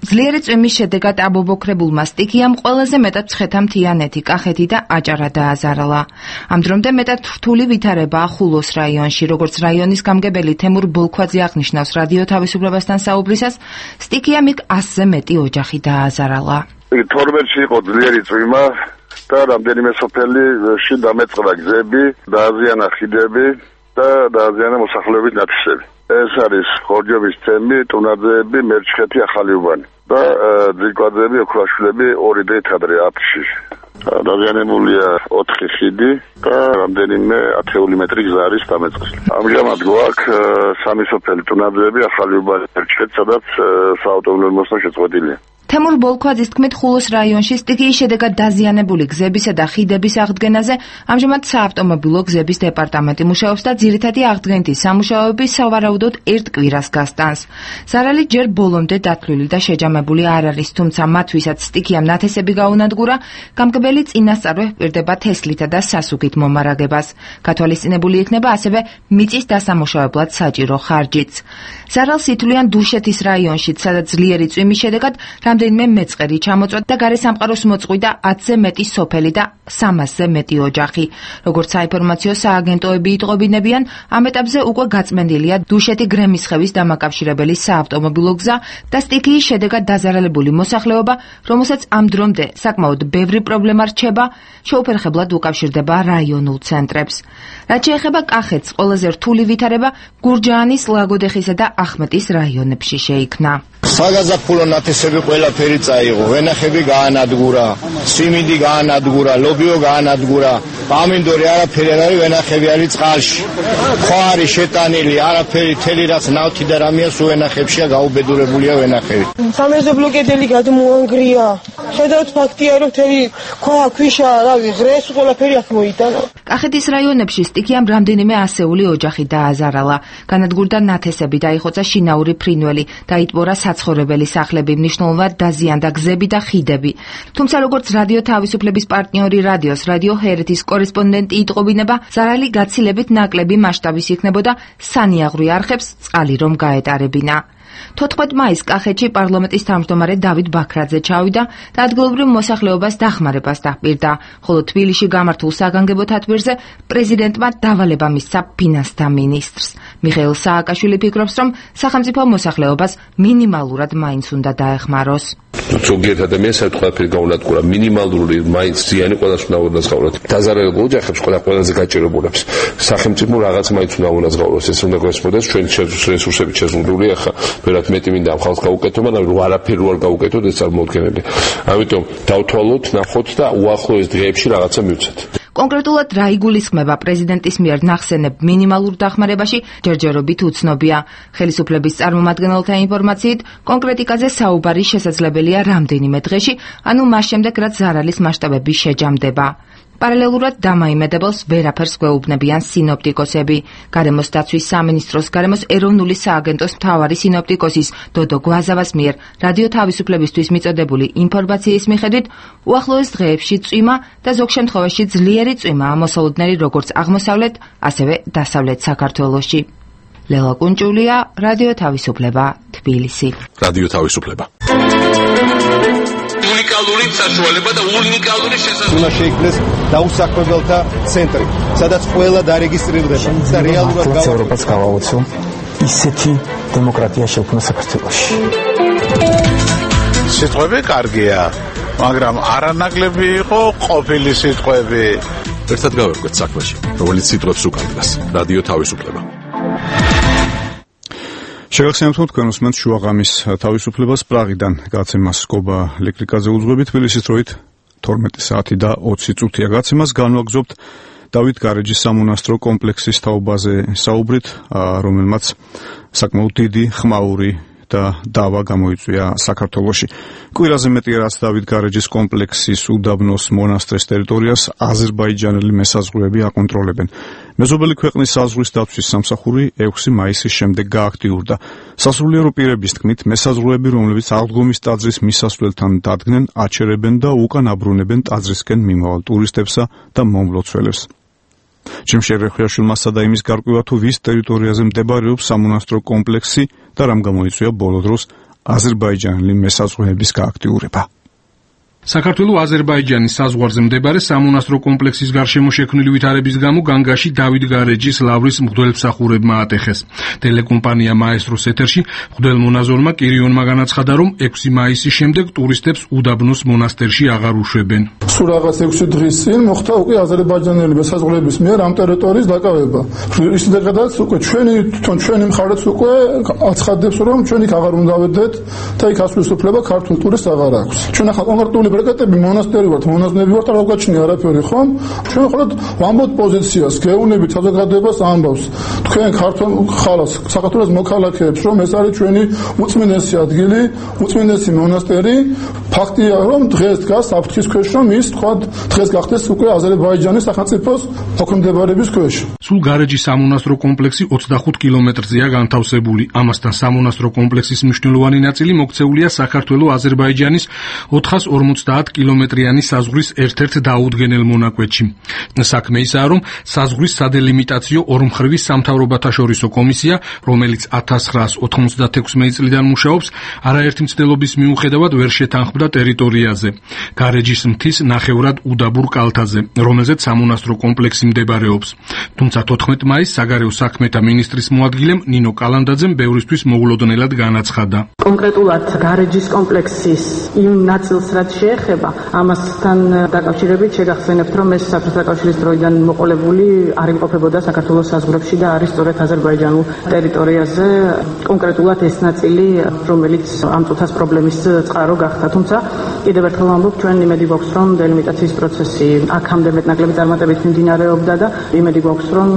ძლიერი წვიმის შედეგად აბობოქრებულმა სტიქიამ ყველაზე მეტად ცხეთამთიანეთი, კახეთი და აჭარა დააზარალა. ამ დრომდე მეტად რთული ვითარებაა ხულოს რაიონში, როგორც რაიონის გამგებელი თემურ ბოლქვაძე აღნიშნავს რადიო თავისუფლებასთან საუბრისას, სტიქიამ იქ 100-ზე მეტი ოჯახი დააზარალა. 12-ში იყო ძლიერი წვიმა და რამდენიმე სოფელში დამეწყდა გზები, დააზიანა ხიდები და დააზიანა მოსახლეობის ნათესები. ეს არის ხორჯობის თემი, ტუნაძეები, მერჩხეთი, ახალი უბანი და ძირკვაძეები, ოქრაშვილები 2 დღით ადრე 10-ში. დაზიანებულია 4 ხიდი და რამდენიმე 10 მეტრი გზა არის დამეწყილი. ამჟამად გვაქვს 3 სოფელი, ტუნაძეები, ახალი უბანი, მერჩხეთი, სადაც საავტომობილო მოსვლა შეწყვეტილია. თემურ ბოლქვაძის თქმით, ხულოს რაიონში სტიქიის შედეგად დაზიანებული გზებისა და ხიდების აღდგენაზე ამჟამად საავტომობილო გზების დეპარტამენტი მუშაობს და ძირითადი აღდგენითი სამუშაოები სავარაუდოდ 1 კვირას გასტანს. ზარალი ჯერ ბოლომდე დათვლილი და შეჯამებული არ არის, თუმცა მათ ვისაც სტიქიამ ნათესები გაუნადგურა, გამგებელი წინასწარვე ჰპირდება თესლითა და სასუქით მომარაგებას. გათვალისწინებული იქნება ასევე მიწის დასამუშავებლად საჭირო ხარჯიც. ზარალს ითვლიან დუშეთის რაიონშიც, სადაც ძლიერი წვიმის შედეგად რამდენიმე მეწყერი ჩამოწვა და გარე სამყაროს მოწყვიტა 10-ზე მეტი სოფელი და 300-ზე მეტი ოჯახი. როგორც საინფორმაციო სააგენტოები იტყობინებიან, ამ ეტაპზე უკვე გაწმენდილია დუშეთი გრემისხევის დამაკავშირებელი საავტომობილო გზა და სტიქიის შედეგად დაზარალებული მოსახლეობა, რომელსაც ამ დრომდე საკმაოდ ბევრი პრობლემა რჩება, შეუფერხებლად უკავშირდება რაიონულ ცენტრებს. რაც შეეხება კახეთს, ყველაზე რთული ვითარება გურჯაანის, ლაგოდეხისა და ახმეტის რაიონებში შეიქმნა. საგაზაფხულო ნათესები ყველაფერი წაიღო, ვენახები გაანადგურა, სიმინდი გაანადგურა, ლობიო გაანადგურა, ამინდორი არაფერი არ არის, ვენახები არის წყალში. ხო არის შეტანილი, არაფერი თელი რაც ნავთი და რამეა სულ ვენახებშია გაუბედურებულია ვენახები. სამეზობლო კედელი გადმოანგრია. ხედავთ ფაქტია, რომ თელი ქვა, ქვიშა, რავი, ღრეს ყველაფერი აქ მოიტანა. კახეთის რაიონებში სტიქიამ რამდენიმე ასეული ოჯახი დააზარალა. განადგურდა ნათესები, დაიხოცა შინაური ფრინველი, დაიტბორა საცხოვრებელი სახლები, მნიშვნელოვნად დაზიანდა გზები და ხიდები. თუმცა როგორც რადიო თავისუფლების პარტნიორი რადიოს რადიო ჰერეთის კორესპონდენტი იტყობინება, ზარალი გაცილებით ნაკლები მასშტაბის იქნებოდა სანიაღვრე არხებს წყალი რომ გაეტარებინა. 14 მაისს კახეთში პარლამენტის თავმჯდომარე დავით ბაქრაძე ჩავიდა და ადგილობრივ მოსახლეობას დახმარებას დაჰპირდა, ხოლო თბილისში გამართულ საგანგებო თათბირზე პრეზიდენტმა დავალება მისცა ფინანსთა მინისტრს. მიხეილ სააკაშვილი ფიქრობს, რომ სახელმწიფო მოსახლეობას მინიმალურად მაინც უნდა დაეხმაროს. ზოგიერთ ადამიანს ყველაფერი გაუნადგურა, მინიმალური მაინც ზიანი ყველას უნდა უნაზღაუროთ. დაზარალებულ ოჯახებს ყველაზე გაჭირებულებს სახელმწიფო რაღაც მაინც უნდა უნაზღაუროს, ეს უნდა გვესმოდეს ჩვენი რესურსები შეზღუდულია ხა ვერათ მეტი მინდა ამ ხალხს გაუკეთო, მაგრამ არაფერი არ გაუკეთოთ, ეს არ მოუდგენელია. ამიტომ დავთვალოთ, ნახოთ და უახლოეს დღეებში რაღაცა მივცეთ. კონკრეტულად რა იგულისხმება პრეზიდენტის მიერ ნახსენებ მინიმალურ დახმარებაში ჯერჯერობით უცნობია. ხელისუფლების წარმომადგენელთა ინფორმაციით, კონკრეტიკაზე საუბარი შესაძლებელია რამდენიმე დღეში, ანუ მას შემდეგ, რაც ზარალის მასშტაბები შეჯამდება. პარალელურად დამაიმედებელს ვერაფერს გვეუბნებიან სინოპტიკოსები. გარემოს დაცვის სამინისტროს გარემოს ეროვნული სააგენტოს მთავარი სინოპტიკოსის დოდო გვაზავას მიერ რადიო თავისუფლებისთვის მიწოდებული ინფორმაციის მიხედვით, უახლოეს დღეებში წვიმა და ზოგ შემთხვევაში ძლიერი წვიმაა მოსალოდნელი როგორც აღმოსავლეთ, ასევე დასავლეთ საქართველოში. ლელა კუნჭულია, რადიო თავისუფლება, თბილისი. რადიო თავისუფლება. უნიკალური საშუალება და უნიკალური შესაძლებლობა. უნდა შეიქმნეს დაუსაქმებელთა ცენტრი, სადაც ყველა დარეგისტრირდება და რეალურად ევროპას გავაოცო ისეთი დემოკრატია შექმნა საქართველოში. სიტყვები კარგია, მაგრამ არანაკლები იყო ყოფილი სიტყვები. ერთად გავერკვეთ საქმეში, რომელიც სიტყვებს უკარგავს. რადიო თავისუფლება. შეგახსენებთ, რომ თქვენ უსმენთ შუაღამის თავისუფლებას პრაღიდან გაცემას კობა ელექტრიკაზე უძღვებით, თბილისის დროით 12 საათი და 20 წუთია. გაცემას განვაგრძობთ დავით გარეჯის სამონასტრო კომპლექსის თაობაზე საუბრით, რომელმაც საკმაოდ დიდი ხმაური და დავა გამოიწვია საქართველოში. კვირაზე მეტია რაც დავით გარეჯის კომპლექსის უდაბნოს მონასტრის ტერიტორიას აზერბაიჯანელი მესაზღვრეები აკონტროლებენ. მეზობელი ქვეყნის საზღვრის დაცვის სამსახური 6 მაისის შემდეგ გააქტიურდა. სასულიერო პირების თქმით, მესაზღვრეები, რომლებიც აღდგომის ტაძრის მისასვლელთან დადგნენ, აჩერებენ და უკან აბრუნებენ ტაძრისკენ მიმავალ ტურისტებსა და მომლოცველებს. ჩემშერ რეხვიაშვილმა სცადა იმის გარკვევა, თუ ვის ტერიტორიაზე მდებარეობს სამონასტრო კომპლექსი და რამ გამოიწვია ბოლო დროს აზერბაიჯანელი მესაზღვრეების გააქტიურება. საქართველოს აზერბაიჯანის საზღვარზე მდებარე სამონასტრო კომპლექსის გარშემო შექმნილი ვითარების გამო განგაში დავით გარეჯის ლავრის მღვდელმსახურებმა ატეხეს. ტელეკომპანია მაესტროს ეთერში მღვდელმონაზონმა კირიონმა განაცხადა, რომ 6 მაისის შემდეგ ტურისტებს უდაბნოს მონასტერში აღარ უშვებენ. სულ რაღაც 6 დღის წინ მოხდა უკვე აზერბაიჯანელი მესაზღვრეების მიერ ამ ტერიტორიის დაკავება. ისედაც უკვე ჩვენი მხარეც უკვე აცხადებს, რომ ჩვენ იქ აღარ უნდა ვედეთ და იქ ასვლის უფლება ქართულ ტურისტს აღარ აქვს. ჩვენ ახლა კონკრეტული ბრეკეტები მონასტერი ვართ, მონაზვნები ვართ, არ გვაჩნია არაფერი, ხო? ჩვენ ხოლმე ვამბობთ პოზიციას, გეუნებით საზოგადოებას ამბავს. თქვენ ქართულ ხალხს, საქართველოს მოქალაქეებს, რომ ეს არის ჩვენი უწმინდესი ადგილი, უწმინდესი მონასტერი. ფაქტია, რომ დღეს დგას საფრთხის ქვეშ, რომ ის თქვა დღეს გახდეს უკვე აზერბაიჯანის სახელმწიფოს მოქმედებების ქვეშ. სულ გარეჯის სამონასტრო კომპლექსი 25 კილომეტრზეა განთავსებული. ამასთან სამონასტრო კომპლექსის მნიშვნელოვანი ნაწილი მოქცეულია საქართველოს აზერბაიჯანის 450 კილომეტრიანი საზღვრის ერთ-ერთ დაუდგენელ მონაკვეთში. საქმე ისაა, რომ საზღვრის სადელიმიტაციო ორმხრივი სამთავრობათაშორისო კომისია, რომელიც 1996 წლიდან მუშაობს, არაერთი მცდელობის მიუხედავად ვერ შეთანხმდა ტერიტორიაზე, გარეჯის მთის ნახევრად უდაბურ კალთაზე, რომელზეც სამონასტრო კომპლექსი მდებარეობს. თუმცა 14 მაისს საგარეო საქმეთა მინისტრის მოადგილემ ნინო კალანდაძემ ბევრისთვის მოულოდნელად განაცხადა. კონკრეტულად გარეჯის კომპლექსის იმ ნაწილს რაც შეეხება, ამასთან დაკავშირებით შეგახსენებთ, რომ ეს საბჭოთა კავშირის დროიდან მოყოლებული არ იმყოფებოდა საქართველოს საზღვრებში და არის სწორედ აზერბაიჯანულ ტერიტორიაზე, კონკრეტულად ეს ნაწილი, რომელიც ამ წუთას პრობლემის წყარო გახდა. თუმცა კიდევ ერთხელ ვამბობ, ჩვენ იმედი გვაქვს, რომ დელიმიტაციის პროცესი აქამდე მეტნაკლები წარმატებით მიმდინარეობდა და იმედი გვაქვს, რომ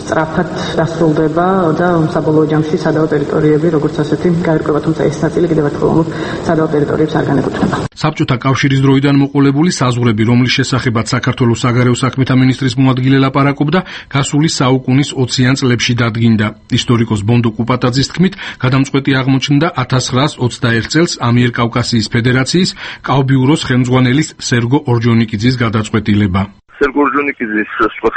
სწრაფად დასრულდება და საბოლოო ჯამში სადავო ტერიტორიები, როგორც ასეთი, გაირკვევა. თუმცა ეს ნაწილი კიდევ ერთხელ ვამბობ, სადავო ტერიტორიებს არ განეკუთვნება. საბჭოთა კავშირის დროიდან მოყოლებული საზღვრები, რომლის შესახებაც საქართველოს საგარეო საქმეთა მინისტრის მოადგილე ლაპარაკობდა, გასული საუკუნის 20-იან წლებში დადგინდა. ისტორიკოს ბონდო კუპატაძის თქმით, გადამწყვეტი აღმოჩნდა 1921 წელს ამიერკავკასიის ფედერაციის კავბიუროს ხელმძღვანელის სერგო ორჯონიკიძის გადაწყვეტილება. სერგო ორჯონიკიძის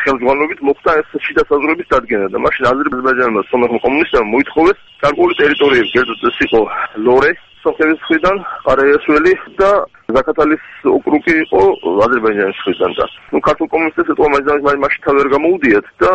ხელმძღვანელობით მოხდა ეს შიდა საზღვრების დადგენა და მაშინ აზერბაიჯანმა სომეხმა კომუნისტებმა მოითხოვეს გარკვეული ტერიტორიები, კერძოდ ეს იყო ლორე სომხეთის მხრიდან, ყარაიასველი და ზაქათალის ოკრუგი იყო აზერბაიჯანის მხრიდან და ქართულ კომუნისტებს ეთქვა მაშინ თავი არ გამოუდიათ და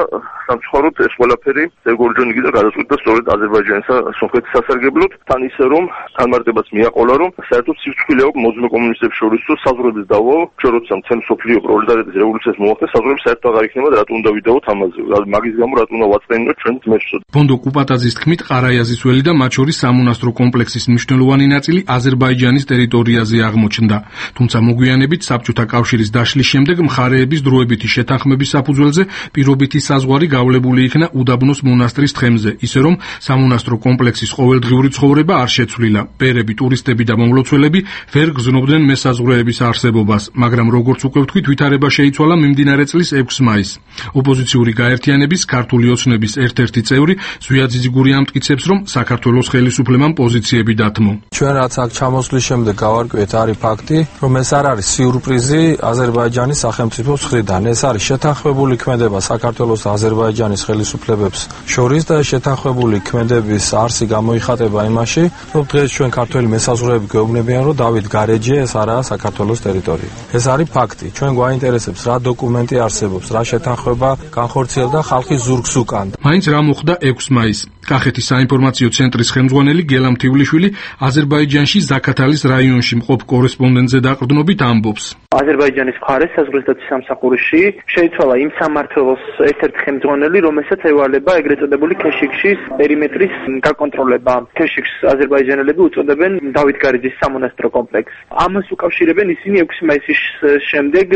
სამწუხაროდ ეს ყველაფერი სერგო ორჯონიკიძე გადაწყვიტა სწორედ აზერბაიჯანისა სომხეთის სასარგებლოდ, თან ისე რომ განმარტებაც მიაყოლა, რომ საერთოდ სიცოცხლე აქვს მოძმე კომუნისტებს შორის საზღვრების დავო, როცა მთელი სოფლიო პროლეტარიატის რევოლუციას მოახდა, საზღვრები საერთოდ აღარ იქნება და რატომ უნდა ვიდაოთ ამაზე, მაგის გამო რატომ უნდა ვაწყენინოთ ჩვენ ძმებს. ბონდო კუპატაძის თქმით, ყარაიაზის ველი და მათ შორის სამონასტრო კომპლექსის მნიშვნელოვანი ნაწილი აზერბაიჯანის ტერიტორიაზე აღმოჩნდა. თუმცა მოგვიანებით საბჭოთა კავშირის დაშლის შემდეგ მხარეების დროებითი შეთანხმების საფუძველზე პირობითი საზღვარი გავლებული იქნა უდაბნოს მონასტრის თხემზე, ისე რომ სამონასტრო კომპლექსის ყოველდღიური ცხოვრება არ შეცვლილა. პერები, ტურისტები და მომლოცველები ვერ გრძნობდნენ მესაზღვრეების არსებობას, მაგრამ როგორც უკვე ვთქვით, ვითარება შეიცვალა მიმდინარე წლის 6 მაისს. ოპოზიციური გაერთიანების ქართული ოცნების ერთ-ერთი წევრი ზვია ძიძიგური ამტკიცებს, რომ საქართველოს ხელისუფლებამ პოზიციები დათმო. ჩვენ რაც აქ ჩამოსვლის შემდეგ გავარკვიეთ არის ფაქტი, რომ ეს არ არის სიურპრიზი აზერბაიჯანის სახელმწიფოს მხრიდან. ეს არის შეთანხმებული ქმედება საქართველოს და აზერბაიჯანის ხელისუფლებებს შორის და შეთანხმებული ქმედების არსი გამოიხატება იმაში, რომ დღეს ჩვენ ქართველი მესაზღვრეები გვეუბნებიან, რომ დავით გარეჯი ეს არაა საქართველოს ტერიტორია. ეს არის ფაქტი. ჩვენ გვაინტერესებს რა დოკუმენტი არსებობს, რა შეთანხმება განხორციელდა ხალხის ზურგს უკან. მაინც რა მოხდა 6 მაისს? კახეთის საინფორმაციო ცენტრის ხელმძღვანელი გელა მთიულიშვილი აზერბაიჯანში ზაქათალის რაიონში მყოფ კორესპონდენტზე დაყრდნობით ამბობს. აზერბაიჯანის მხარეს საზღვრისდაცვის სამსახურში შეიცვალა იმ სამმართველოს ერთ-ერთი ხელმძღვანელი, რომელსაც ევალება ეგრეთ წოდებული ქეშიქშის პერიმეტრის გაკონტროლება. ქეშიქს აზერბაიჯანელები უწოდებენ დავით გარეჯის სამონასტრო კომპლექსს. ამას უკავშირებენ ისინი 6 მაისის შემდეგ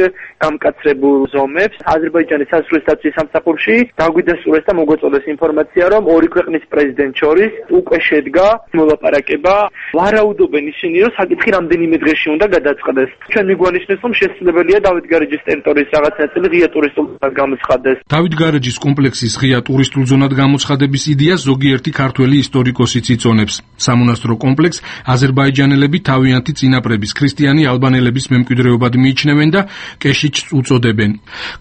გამკაცრებულ ზომებს. აზერბაიჯანის საზღვრისდაცვის სამსახურში დაგვიდასტურეს და მოგვეწოდეს ინფორმაცია, რომ ორი ქვეყნის პრეზიდენტ შორის უკვე შედგა მოლაპარაკება. ვარაუდობენ ისინი, რომ საკითხი რამდენიმე დღეში უნდა გადაწყდეს. ჩვენ მიგვანიშნეს, რომ შესაძლებელია დავით გარეჯის ტერიტორიის რაღაც ნაწილი ღია ტურისტულ ზონად გამოცხადდეს. დავით გარეჯის კომპლექსის ღია ტურისტულ ზონად გამოცხადების იდეას ზოგიერთი ქართველი ისტორიკოსიც იწონებს. სამონასტრო კომპლექსს აზერბაიჯანელები თავიანთი წინაპრების ქრისტიანი ალბანელების მემკვიდრეობად მიიჩნევენ და კეშიჩს უწოდებენ.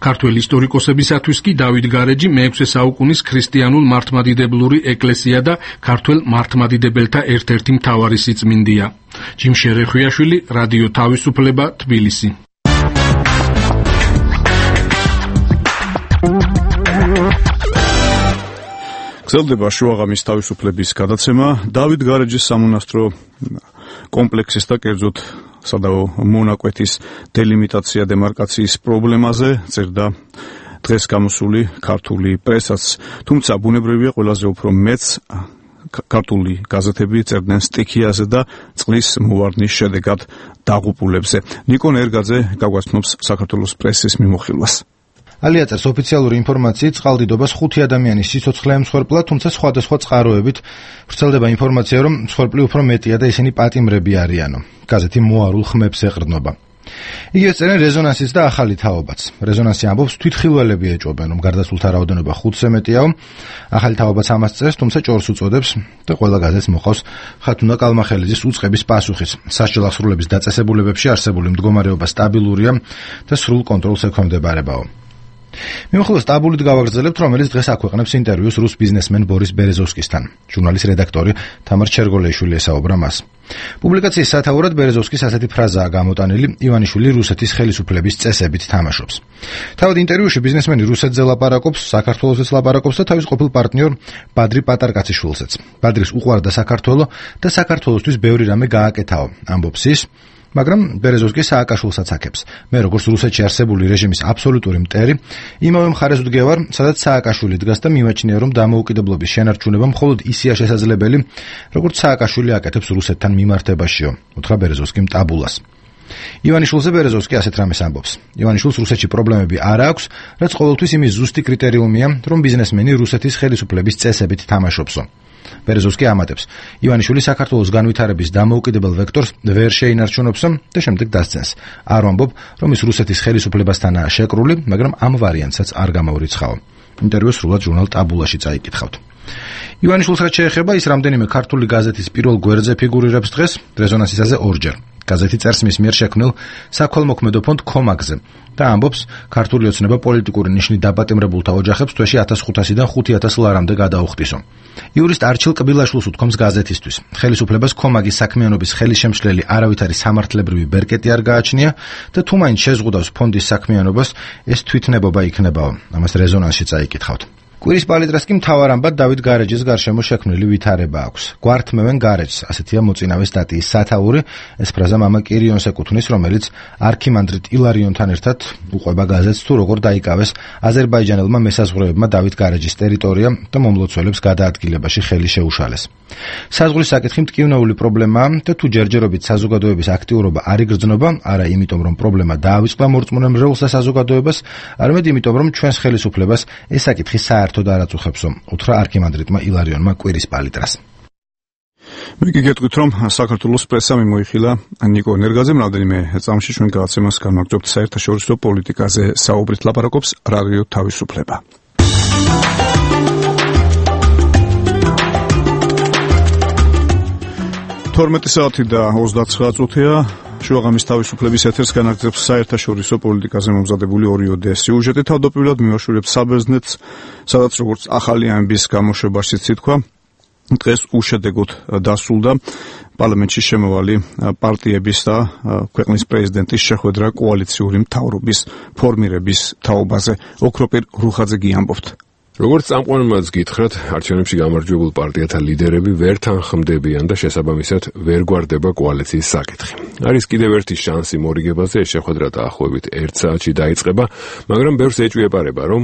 ქართველი ისტორიკოსებისათვის კი დავით გარეჯი მე-6 საუკუნის ქრისტიანულ მართლმადიდებლური ეკლესია და ქართველ მართლმადიდებელთა ერთ-ერთი მთავარი სიწმინდეა. ჯიმშე რეხვიაშვილი, რადიო თავისუფლება, თბილისი. გრძელდება შუაღამის თავისუფლების გადაცემა. დავით გარეჯის სამონასტრო კომპლექსის და კერძოდ სადავო მონაკვეთის დელიმიტაცია დემარკაციის პრობლემაზე წერდა დღეს გამოსული ქართული პრესაც, თუმცა ბუნებრივია ყველაზე უფრო მეც ქართული გაზეთები წერდნენ სტიქიაზე და წყლის მოვარდნის შედეგად დაღუპულებზე. ნიკონ ერგაძე გაგვაცნობს საქართველოს პრესის მიმოხილვას. ალიაწერს ოფიციალური ინფორმაციით წყალდიდობას 5 ადამიანის სიცოცხლე ემსხვერპლა, თუმცა სხვადასხვა წყაროებით ვრცელდება ინფორმაცია, რომ მსხვერპლი უფრო მეტია და ისინი პატიმრები არიანო. გაზეთი მოარულ ხმებს ეყრდნობა. იგივე წერენ რეზონანსიც და ახალი თაობაც. რეზონანსი ამბობს, თვითხილველები ეჭვობენ, რომ გარდაცვლთა რაოდენობა 5-ზე მეტიაო. ახალი თაობაც ამას წერს, თუმცა ჭორს უწოდებს და ყველა გაზეთს მოყავს ხათუნა კალმახელიძის უწყების პასუხიც. სასჯელ აღსრულების დაწესებულებებში არსებული მდგომარეობა სტაბილურია და სრულ კონტროლს ექვემდებარებაო. მიმოხილვას ტაბულით გავაგრძელებთ, რომელიც დღეს აქვეყნებს ინტერვიუს რუს ბიზნესმენ ბორის ბერეზოვსკისთან. ჟურნალის რედაქტორი თამარ ჩერგოლეიშვილი ესაუბრა მას. პუბლიკაციის სათაურად ბერეზოვსკის ასეთი ფრაზაა გამოტანილი: ივანიშვილი რუსეთის ხელისუფლების წესებით თამაშობს. თავად ინტერვიუში ბიზნესმენი რუსეთზე ლაპარაკობს, საქართველოსაც ლაპარაკობს და თავის ყოფილ პარტნიორ ბადრი პატარკაციშვილსაც. ბადრის უყვარდა საქართველო და საქართველოსთვის ბევრი რამე გააკეთაო, ამბობს ის. მაგრამ ბერეზოვსკი სააკაშვილსაც აკეთებს. მე როგორც რუსეთში არსებული რეჟიმის აბსოლუტური მტერი, იმავე მხარეს ვდგევარ, სადაც სააკაშვილი დგას და მიმაჩნია, რომ დამოუკიდებლობის შენარჩუნება მხოლოდ ისია შესაძლებელი, როგორც სააკაშვილი აკეთებს რუსეთთან მიმართებაშიო, უთხრა ბერეზოვსკიმ ტაბულას. ივანიშვილზე ბერეზოვსკი ასეთ რამეს ამბობს. ივანიშვილს რუსეთში პრობლემები არ აქვს, რაც ყოველთვის იმის ზუსტი კრიტერიუმია, რომ ბიზნესმენი რუსეთის ხელისუფლების წესებით თამაშობსო. ბერეზოვსკი ამატებს, ივანიშვილი საქართველოს განვითარების დამოუკიდებელ ვექტორს ვერ შეინარჩუნებსო და შემდეგ დასცენს. არ ვამბობ, რომ ის რუსეთის ხელისუფლებასთანაა შეკრული, მაგრამ ამ ვარიანტსაც არ გამოვრიცხაო. ინტერვიუს სრულად ჟურნალ ტაბულაში წაიკითხავთ. ივანიშვილს რაც შეეხება, ის რამდენიმე ქართული გაზეთის პირველ გვერდზე ფიგურირებს დღეს, რეზონანსისაზე ორჯერ. გაზეთი წერს მის მიერ შექმნილ საქველმოქმედო ფონდ კომაგზე და ამბობს, ქართული ოცნება პოლიტიკური ნიშნით დაპატიმრებულთა ოჯახებს თვეში 1500-დან 5000 ლარამდე გადაუხდისო. იურისტ არჩილ კბილაშვილს უთქვამს გაზეთისთვის. ხელისუფლებას კომაგის საქმიანობის ხელისშემშლელი არავითარი სამართლებრივი ბერკეტი არ გააჩნია და თუ მაინც შეზღუდავს ფონდის საქმიანობას, ეს თვითნებობა იქნებაო. ამას რეზონანსში წაიკითხავთ. კვირის პალიტრას კი მთავარ ამბად დავით გარეჯის გარშემო შექმნილი ვითარება აქვს. გვართმევენ გარეჯს, ასეთია მოწინავე სტატიის სათაური. ეს ფრაზა მამა კირიონს ეკუთვნის, რომელიც არქიმანდრიტ ილარიონთან ერთად უყვება გაზეთს, თუ როგორ დაიკავეს აზერბაიჯანელმა მესაზღვრეებმა დავით გარეჯის ტერიტორია და მომლოცველებს გადაადგილებაში ხელი შეუშალეს. საზღვრის საკითხი მტკივნეული პრობლემაა და თუ ჯერჯერობით საზოგადოების აქტიურობა არ იგრძნობა, არა იმიტომ, რომ პრობლემა დაავიწყდა მორწმუნე მრევლს და საზოგადოებას, არამედ იმიტომ, რომ ჩვენს ხელისუფლებას ეს საკითხი საერთოდ არ აწუხებსო, უთხრა არქიმანდრიტმა ილარიონმა კვირის პალიტრას. მე კი გეტყვით, რომ საქართველოს პრესა მიმოიხილა ნიკო ენერგაძემ, რამდენიმე წამში ჩვენ გადაცემას განვაგრძობთ საერთაშორისო პოლიტიკაზე საუბრით ლაპარაკობს რადიო თავისუფლება. 12 საათი და 29 წუთია. შუაღამის თავისუფლების ეთერს განაგრძობს საერთაშორისო პოლიტიკაზე მომზადებული ორიოდე სიუჟეტი. თავდაპირველად მივაშურებ საბერძნეთს, სადაც როგორც ახალი ამბის გამოშვებაშიც ითქვა, დღეს უშედეგოდ დასრულდა პარლამენტში შემოვალი პარტიების და ქვეყნის პრეზიდენტის შეხვედრა კოალიციური მთავრობის ფორმირების თაობაზე. ოქროპირ რუხაძე გიამბობთ. როგორც წამყვანებმაც გითხრათ, არჩევნებში გამარჯვებულ პარტიათა ლიდერები ვერ თანხმდებიან და შესაბამისად ვერ გვარდება კოალიციის საკითხი. არის კიდევ ერთი შანსი მორიგებაზე, ეს შეხვედრა დაახლოებით 1 საათში დაიწყება, მაგრამ ბევრს ეჭვიეპარება, რომ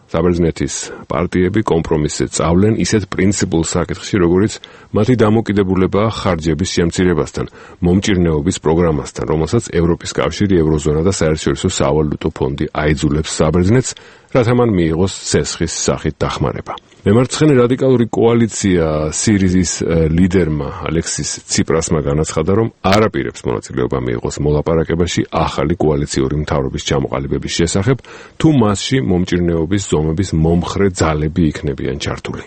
საბერძნეთის პარტიები კომპრომისზე წავლენ ისეთ პრინციპულ საკითხში, როგორიც მათი დამოკიდებულებაა ხარჯების შემცირებასთან, მომჭირნეობის პროგრამასთან, რომელსაც ევროპის კავშირი, ევროზონა და საერთაშორისო სავალუტო ფონდი აიძულებს საბერძნეთს, რათა მან მიიღოს ცესხის სახით დახმარება. მემარცხენე რადიკალური კოალიცია სირიზის ლიდერმა ალექსის ციპრასმა განაცხადა, რომ არ აპირებს მონაწილეობა მიიღოს მოლაპარაკებაში ახალი კოალიციური მთავრობის ჩამოყალიბების შესახებ, თუ მასში მომჭირნეობის ზომების მომხრე ძალები იქნებიან ჩართული.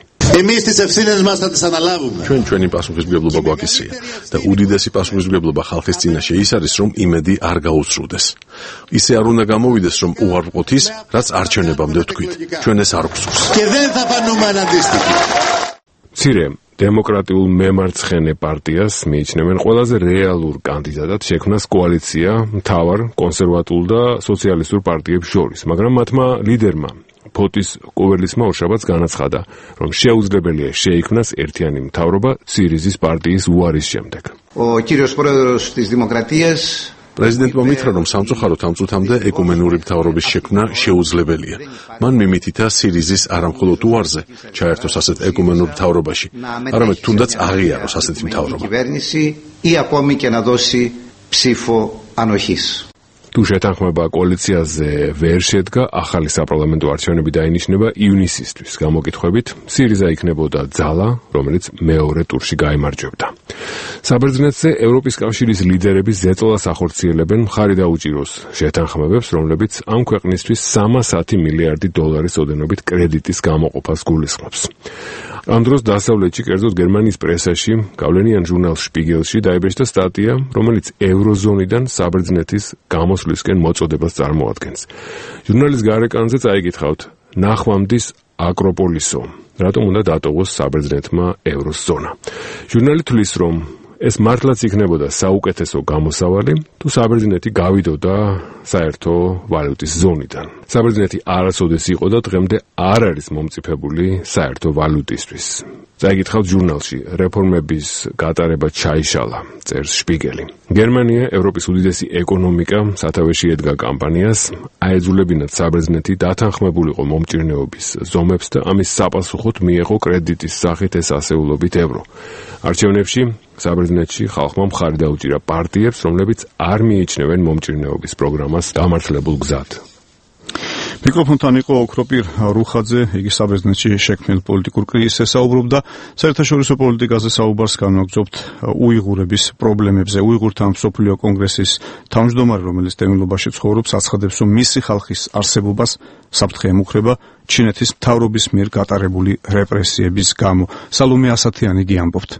ჩვენი პასუხისმგებლობა გვაკისრია და უდიდესი პასუხისმგებლობა ხალხის წინაშე ის არის, რომ იმედი არ გაუსრუდეს. ისე არ უნდა გამოვიდეს, რომ უარყოთ ის, რაც არჩევნებამდე ვთქვით. ჩვენ ეს არ გვსურს. მცირე დემოკრატიულ მემარცხენე პარტიას მიიჩნევენ ყველაზე რეალურ კანდიდატად შექმნას კოალიცია მთავარ კონსერვატულ და სოციალისტურ პარტიებს შორის, მაგრამ მათმა ლიდერმა ფოტის კუველისმა ორშაბათს განაცხადა, რომ შეუძლებელია შეიქმნას ერთიანი მთავრობა სირიზის პარტიის უარის შემდეგ. პრეზიდენტმა მითხრა, რომ სამწუხაროდ ამ წუთამდე ეკუმენური მთავრობის შექმნა შეუძლებელია. მან მიმითითა სირიზის არამხოლოდ უარზე ჩაერთოს ასეთ ეკუმენურ მთავრობაში, არამედ თუნდაც აღიაროს ასეთი მთავრობა. თუ შეთანხმება კოალიციაზე ვერ შედგა, ახალი საპარლამენტო არჩევნები დაინიშნება ივნისისთვის. გამოკითხვებით, სირიზა იქნებოდა ძალა, რომელიც მეორე ტურში გაიმარჯვებდა. საბერძნეთზე ევროპის კავშირის ლიდერები ზეწოლას ახორციელებენ მხარი დაუჭიროს შეთანხმებებს, რომლებიც ამ ქვეყნისთვის 310 მილიარდი დოლარის ოდენობით კრედიტის გამოყოფას გულისხმობს. ამ დროს დასავლეთში, კერძოდ გერმანიის პრესაში, გავლენიან ჟურნალ შპიგელში დაიბეჭდა სტატია, რომელიც ევროზონიდან საბერძნეთის გამოსვლისკენ მოწოდებას წარმოადგენს. ჟურნალის გარეკანზე წაიკითხავთ: ნახვამდის აკროპოლისო, რატომ უნდა დატოვოს საბერძნეთმა ევროზონა? ჟურნალი თვლის, რომ ეს მართლაც იქნებოდა საუკეთესო გამოსავალი, თუ საბერძნეთი გავიდოდა საერთო ვალუტის ზონიდან. საბერძნეთი არასოდეს იყო და დღემდე არ არის მომწიფებული საერთო ვალუტისთვის. წაიკითხავთ ჟურნალში, რეფორმების გატარება ჩაიშალა, წერს შპიგელი. გერმანია, ევროპის უდიდესი ეკონომიკა, სათავეში ედგა კამპანიას, აეძულებინათ საბერძნეთი დათანხმებულიყო მომჭირნეობის ზომებს და ამის საპასუხოდ მიეღო კრედიტის სახით ეს ასეულობით ევრო. არჩევნებში საბერძნეთში ხალხმა მხარი დაუჭირა პარტიებს, რომლებიც არ მიიჩნევენ მომჭირნეობის პროგრამას დამართლებულ გზად. მიკროფონთან იყო ოქროპირ რუხაძე, იგი საბერძნეთში შექმნილ პოლიტიკურ კრიზისზე საუბრობდა. საერთაშორისო პოლიტიკაზე საუბარს განვაგრძობთ უიღურების პრობლემებზე. უიღურთა მსოფლიო კონგრესის თავმჯდომარე, რომელიც დევნილობაში ცხოვრობს, აცხადებს, რომ მისი ხალხის არსებობას საფრთხე ემუქრება ჩინეთის მთავრობის მიერ გატარებული რეპრესიების გამო. სალომე ასათიანი იგი ამბობთ.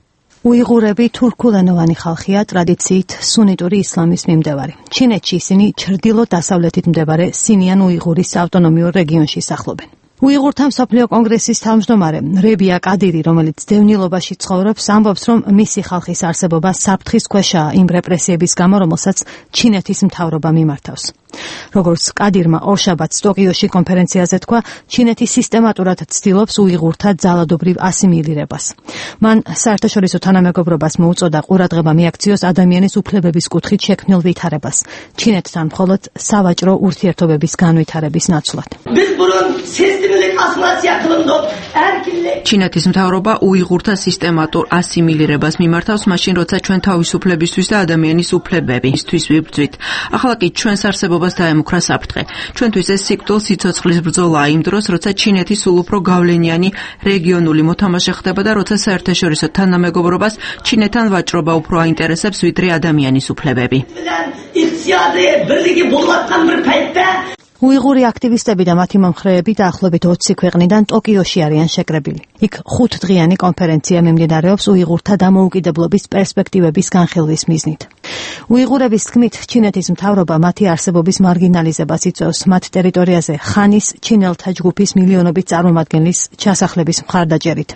უიღურები თურქულენოვანი ხალხია, ტრადიციით სუნიტური ისლამის მიმდევარი. ჩინეთში ისინი ჩრდილო-დასავლეთით მდებარე სინიან უიღურის ავტონომიურ რეგიონში სახლობენ. უიღურთა მსოფლიო კონგრესის თავმჯდომარე რებია კადირი, რომელიც დევნილობაში ცხოვრობს, ამბობს, რომ მისი ხალხის არსებობა საფრთხის ქვეშაა იმ რეპრესიების გამო, რომელსაც ჩინეთის მთავრობა მიმართავს. როგორც კადირმა ორშაბათს ტოკიოში კონფერენციაზე თქვა, ჩინეთი სისტემატურად ცდილობს უიღურთა ძალადობრივ ასიმილირებას. მან საერთაშორისო თანამეგობრობას მოუწოდა ყურადღება მიაქციოს ადამიანის უფლებების კუთხით შექმნილ ვითარებას, ჩინეთთან მხოლოდ სავაჭრო ურთიერთობების განვითარების ნაცვლად. ჩინეთის მთავრობა უიღურთა სისტემატურ ასიმილირებას მიმართავს, მაშინ როცა ჩვენ თავისუფლებისთვის და ადამიანის უფლებებისთვის ვიბრძვით. ახლა კი ჩვენს არსებობას დაემუქრა საფრთხე. ჩვენთვის ეს სიკვდილ სიცოცხლის ბრძოლაა იმ დროს, როცა ჩინეთი სულ უფრო გავლენიანი რეგიონული მოთამაშე ხდება და როცა საერთაშორისო თანამეგობრობას ჩინეთთან ვაჭრობა უფრო აინტერესებს, ვიდრე ადამიანის უფლებები. უიღური აქტივისტები და მათი მომხრეები დაახლოებით 20 ქვეყნიდან ტოკიოში არიან შეკრებილი. იქ 5 დღიანი კონფერენცია მიმდინარეობს უიღურთა დამოუკიდებლობის პერსპექტივების განხილვის მიზნით. უიღურების თქმით, ჩინეთის მთავრობა მათი არსებობის მარგინალიზებას იწვევს მათ ტერიტორიაზე ხანის ჩინელთა ჯგუფის მილიონობით წარმომადგენლის ჩასახლების მხარდაჭერით.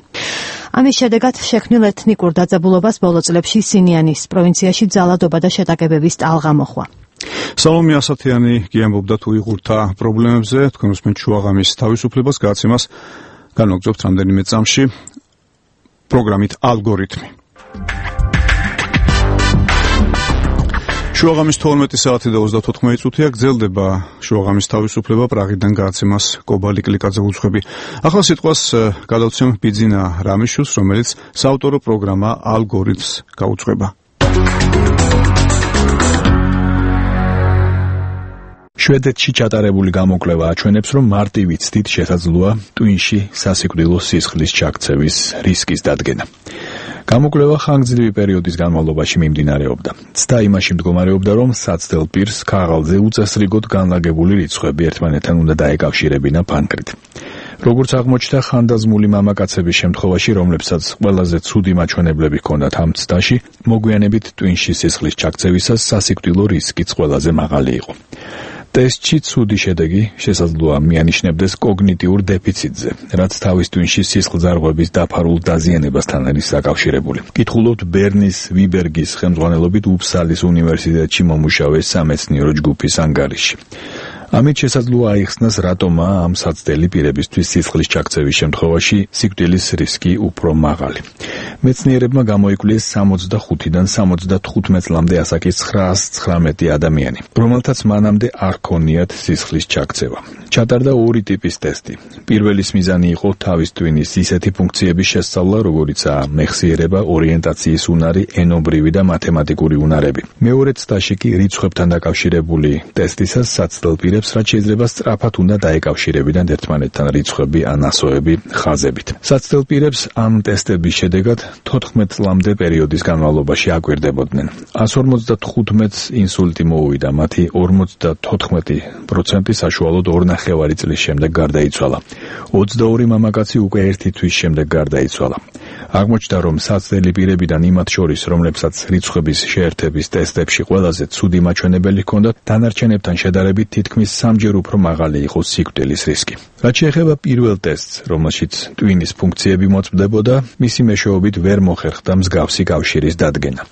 ამის შედეგად შექმნილ ეთნიკურ დაძაბულობას ბოლო წლებში სინიანის პროვინციაში ძალადობა და შეტაკებების ტალღა მოხვა. სალომე ასათიანი გიამბობდა უიღურთა პრობლემებზე, თქვენ უსმენთ შუაღამის თავისუფლებას, გადაცემას განვაგრძობთ რამდენიმე წამში პროგრამით ალგორითმი. შუაღამის 12 საათი და 34 წუთია გრძელდება შუაღამის თავისუფლება პრაღიდან გააცემას კობალი კლიკაძე უძღვები. ახლა სიტყვას გადავცემ ბიძინა რამიშვილს, რომელიც საავტორო პროგრამა ალგორითმს გაუძღვება. შვედეთში ჩატარებული გამოკვლევა აჩვენებს, რომ მარტივი ცდით შესაძლოა ტვინში სასიკვდილო სისხლის ჩაქცევის რისკის დადგენა. გამოკვლევა ხანგრძლივი პერიოდის განმავლობაში მიმდინარეობდა. ცდა იმაში მდგომარეობდა, რომ საცდელ პირს ქაღალდზე უწესრიგოდ განლაგებული რიცხვები ერთმანეთთან უნდა დაეკავშირებინა ფანქრით. როგორც აღმოჩნდა, ხანდაზმული მამაკაცების შემთხვევაში, რომლებსაც ყველაზე ცუდი მაჩვენებლები ჰქონდათ ამ ცდაში, მოგვიანებით ტვინში სისხლის ჩაქცევისას სასიკვდილო რისკიც ყველაზე მაღალი იყო. ტესტში ცუდი შედეგი შესაძლოა მიანიშნებდეს კოგნიტიურ დეფიციტზე, რაც თავის ტვინში სისხლძარღვების დაფარულ დაზიანებასთან არის დაკავშირებული. კითხულობთ ბერნის ვიბერგის ხელმძღვანელობით უფსალის უნივერსიტეტში მომუშავე სამეცნიერო ჯგუფის ანგარიში. ამით შესაძლოა აიხსნას, რატომა ამ საცდელი პირებისთვის სისხლის ჩაქცევის შემთხვევაში სიკვდილის რისკი უფრო მაღალი. მეცნიერებმა გამოიკვლიეს 65-დან 75 წლამდე ასაკის 919 ადამიანი, რომელთაც მანამდე არ ჰქონიათ სისხლის ჩაქცევა. ჩატარდა ორი ტიპის ტესტი. პირველის მიზანი იყო თავის ტვინის ისეთი ფუნქციების შესწავლა, როგორიცაა მეხსიერება, ორიენტაციის უნარი, ენობრივი და მათემატიკური უნარები. მეორე ცდაში კი რიცხვებთან დაკავშირებული ტესტისას საცდელ პირებს რაც შეიძლება სწრაფად უნდა დაეკავშირებინათ ერთმანეთთან რიცხვები ან ასოები ხაზებით. საცდელ პირებს ამ ტესტების შედეგად 14 წლამდე პერიოდის განმავლობაში აკვირდებოდნენ. 155 ინსულტი მოუვიდა, მათი 54% საშუალოდ 2.5 წლის შემდეგ გარდაიცვალა. 22 მამაკაცი უკვე 1 თვის შემდეგ გარდაიცვალა. აღმოჩნდა, რომ საცდელი პირებიდან იმათ შორის, რომლებსაც რიცხვების შეერთების ტესტებში ყველაზე ცუდი მაჩვენებელი ჰქონდათ, დანარჩენებთან შედარებით თითქმის 3-ჯერ უფრო მაღალი იყო სიკვდილის რისკი. რაც შეეხება პირველ ტესტს, რომელშიც ტვინის ფუნქციები მოწმდებოდა, მისი მეშვეობით ვერ მოხერხდა მსგავსი კავშირის დადგენა.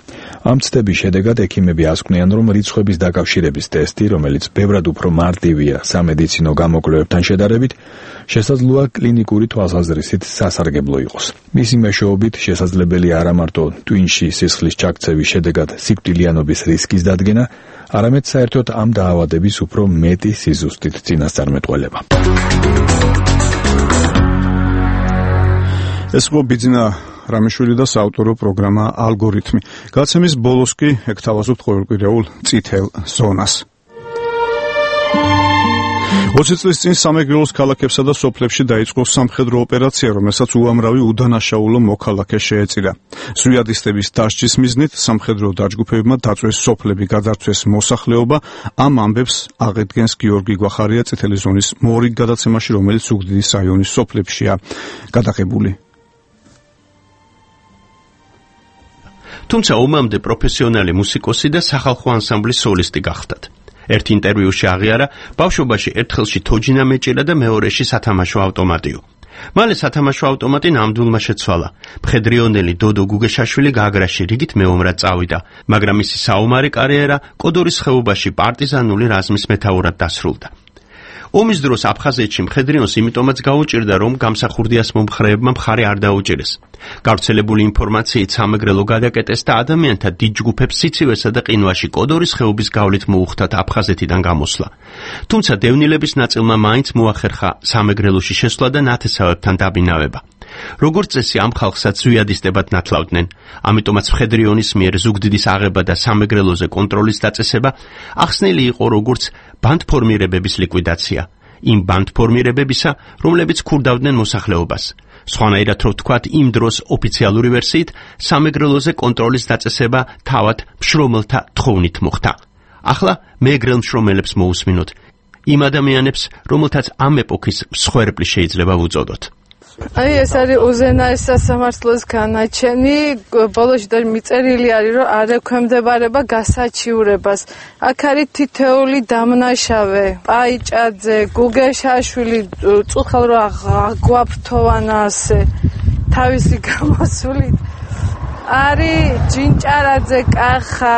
ამ ცდების შედეგად ექიმები ასკვნიან, რომ რიცხვების დაკავშირების ტესტი, რომელიც ბევრად უფრო მარტივია სამედიცინო გამოკვლევებთან შედარებით, შესაძლოა კლინიკური თვალსაზრისით სასარგებლო იყოს. მისი მეშვეობით შესაძლებელია არა მარტო ტვინში სისხლის ჩაქცევის შედეგად სიკვდილიანობის რისკის დადგენა, არამედ საერთოდ ამ დაავადების უფრო მეტი სიზუსტით წინასწარმეტყველება. ეს იყო ბიძინა რამიშვილი და საავტორო პროგრამა ალგორითმი. გაცემის ბოლოს კი ეკთავაზობთ ყოველკვირეულ წითელ ზონას. 20 წლის წინ სამეგრელოს ქალაქებსა და სოფლებში დაიწყო სამხედრო ოპერაცია, რომელსაც უამრავი უდანაშაულო მოქალაქე შეეწირა. ზვიადისტების დასჯის მიზნით სამხედრო დაჯგუფებებმა დაწვეს სოფლები, გადარჩეს მოსახლეობა. ამ ამბებს აღედგენს გიორგი გვახარია წითელი ზონის მორიგ გადაცემაში, რომელიც ზუგდიდის რაიონის სოფლებშია გადაღებული. თუმცა ომამდე პროფესიონალი მუსიკოსი და სახალხო ანსამბლის სოლისტი გახდათ. ერთ ინტერვიუში აღიარა, ბავშვობაში ერთხელში თოჯინა მეჭირა და მეორეში სათამაშო ავტომატიო. მალე სათამაშო ავტომატი ნამდვილმა შეცვალა. მხედრიონელი დოდო გუგეშაშვილი გაგრაში რიგით მეომრად წავიდა, მაგრამ მისი საომარი კარიერა კოდორის ხეობაში პარტიზანული რაზმის მეთაურად დასრულდა. ომის დროს აფხაზეთში მხედრიონს იმიტომაც გაუჭირდა, რომ გამსახურდიას მომხრეებმა მხარი არ დაუჭირეს. გავრცელებული ინფორმაციით სამეგრელო გადაკეტეს და ადამიანთა დიდ ჯგუფებს სიცივესა და ყინვაში კოდორის ხეობის გავლით მოუხდათ აფხაზეთიდან გამოსვლა. თუმცა დევნილების ნაწილმა მაინც მოახერხა სამეგრელოში შესვლა და ნათესავებთან დაბინავება. როგორც წესი ამ ხალხსაც ზვიადისტებად ნათლავდნენ, ამიტომაც მხედრიონის მიერ ზუგდიდის აღება და სამეგრელოზე კონტროლის დაწესება ახსნილი იყო როგორც ბანდფორმირებების ლიკვიდაცია, იმ ბანდფორმირებებისა, რომლებიც ქურდავდნენ მოსახლეობას. სხვანაირად რო ვთქვათ, იმ დროს ოფიციალური ვერსიით სამეგრელოზე კონტროლის დაწესება თავად მშრომელთა თხოვნით მოხდა. ახლა მეგრელ მშრომელებს მოусმინოთ, იმ ადამიანებს, რომელთაც ამ ეპოქის მსხვერპლი შეიძლება ვუწოდოთ. ეს არის უზენაეს სასამართლოს განაჩენი, ბოლოში და მიწერილი არის, რომ არ ექვემდებარება გასაჩივრებას. აქ არის თითეული დამნაშავე, პაიჭაძე, გუგეშაშვილი, წუხელ რო აგვაფრთოვანა ასე თავისი გამოსულით. არის ჯინჭარაძე, კახა,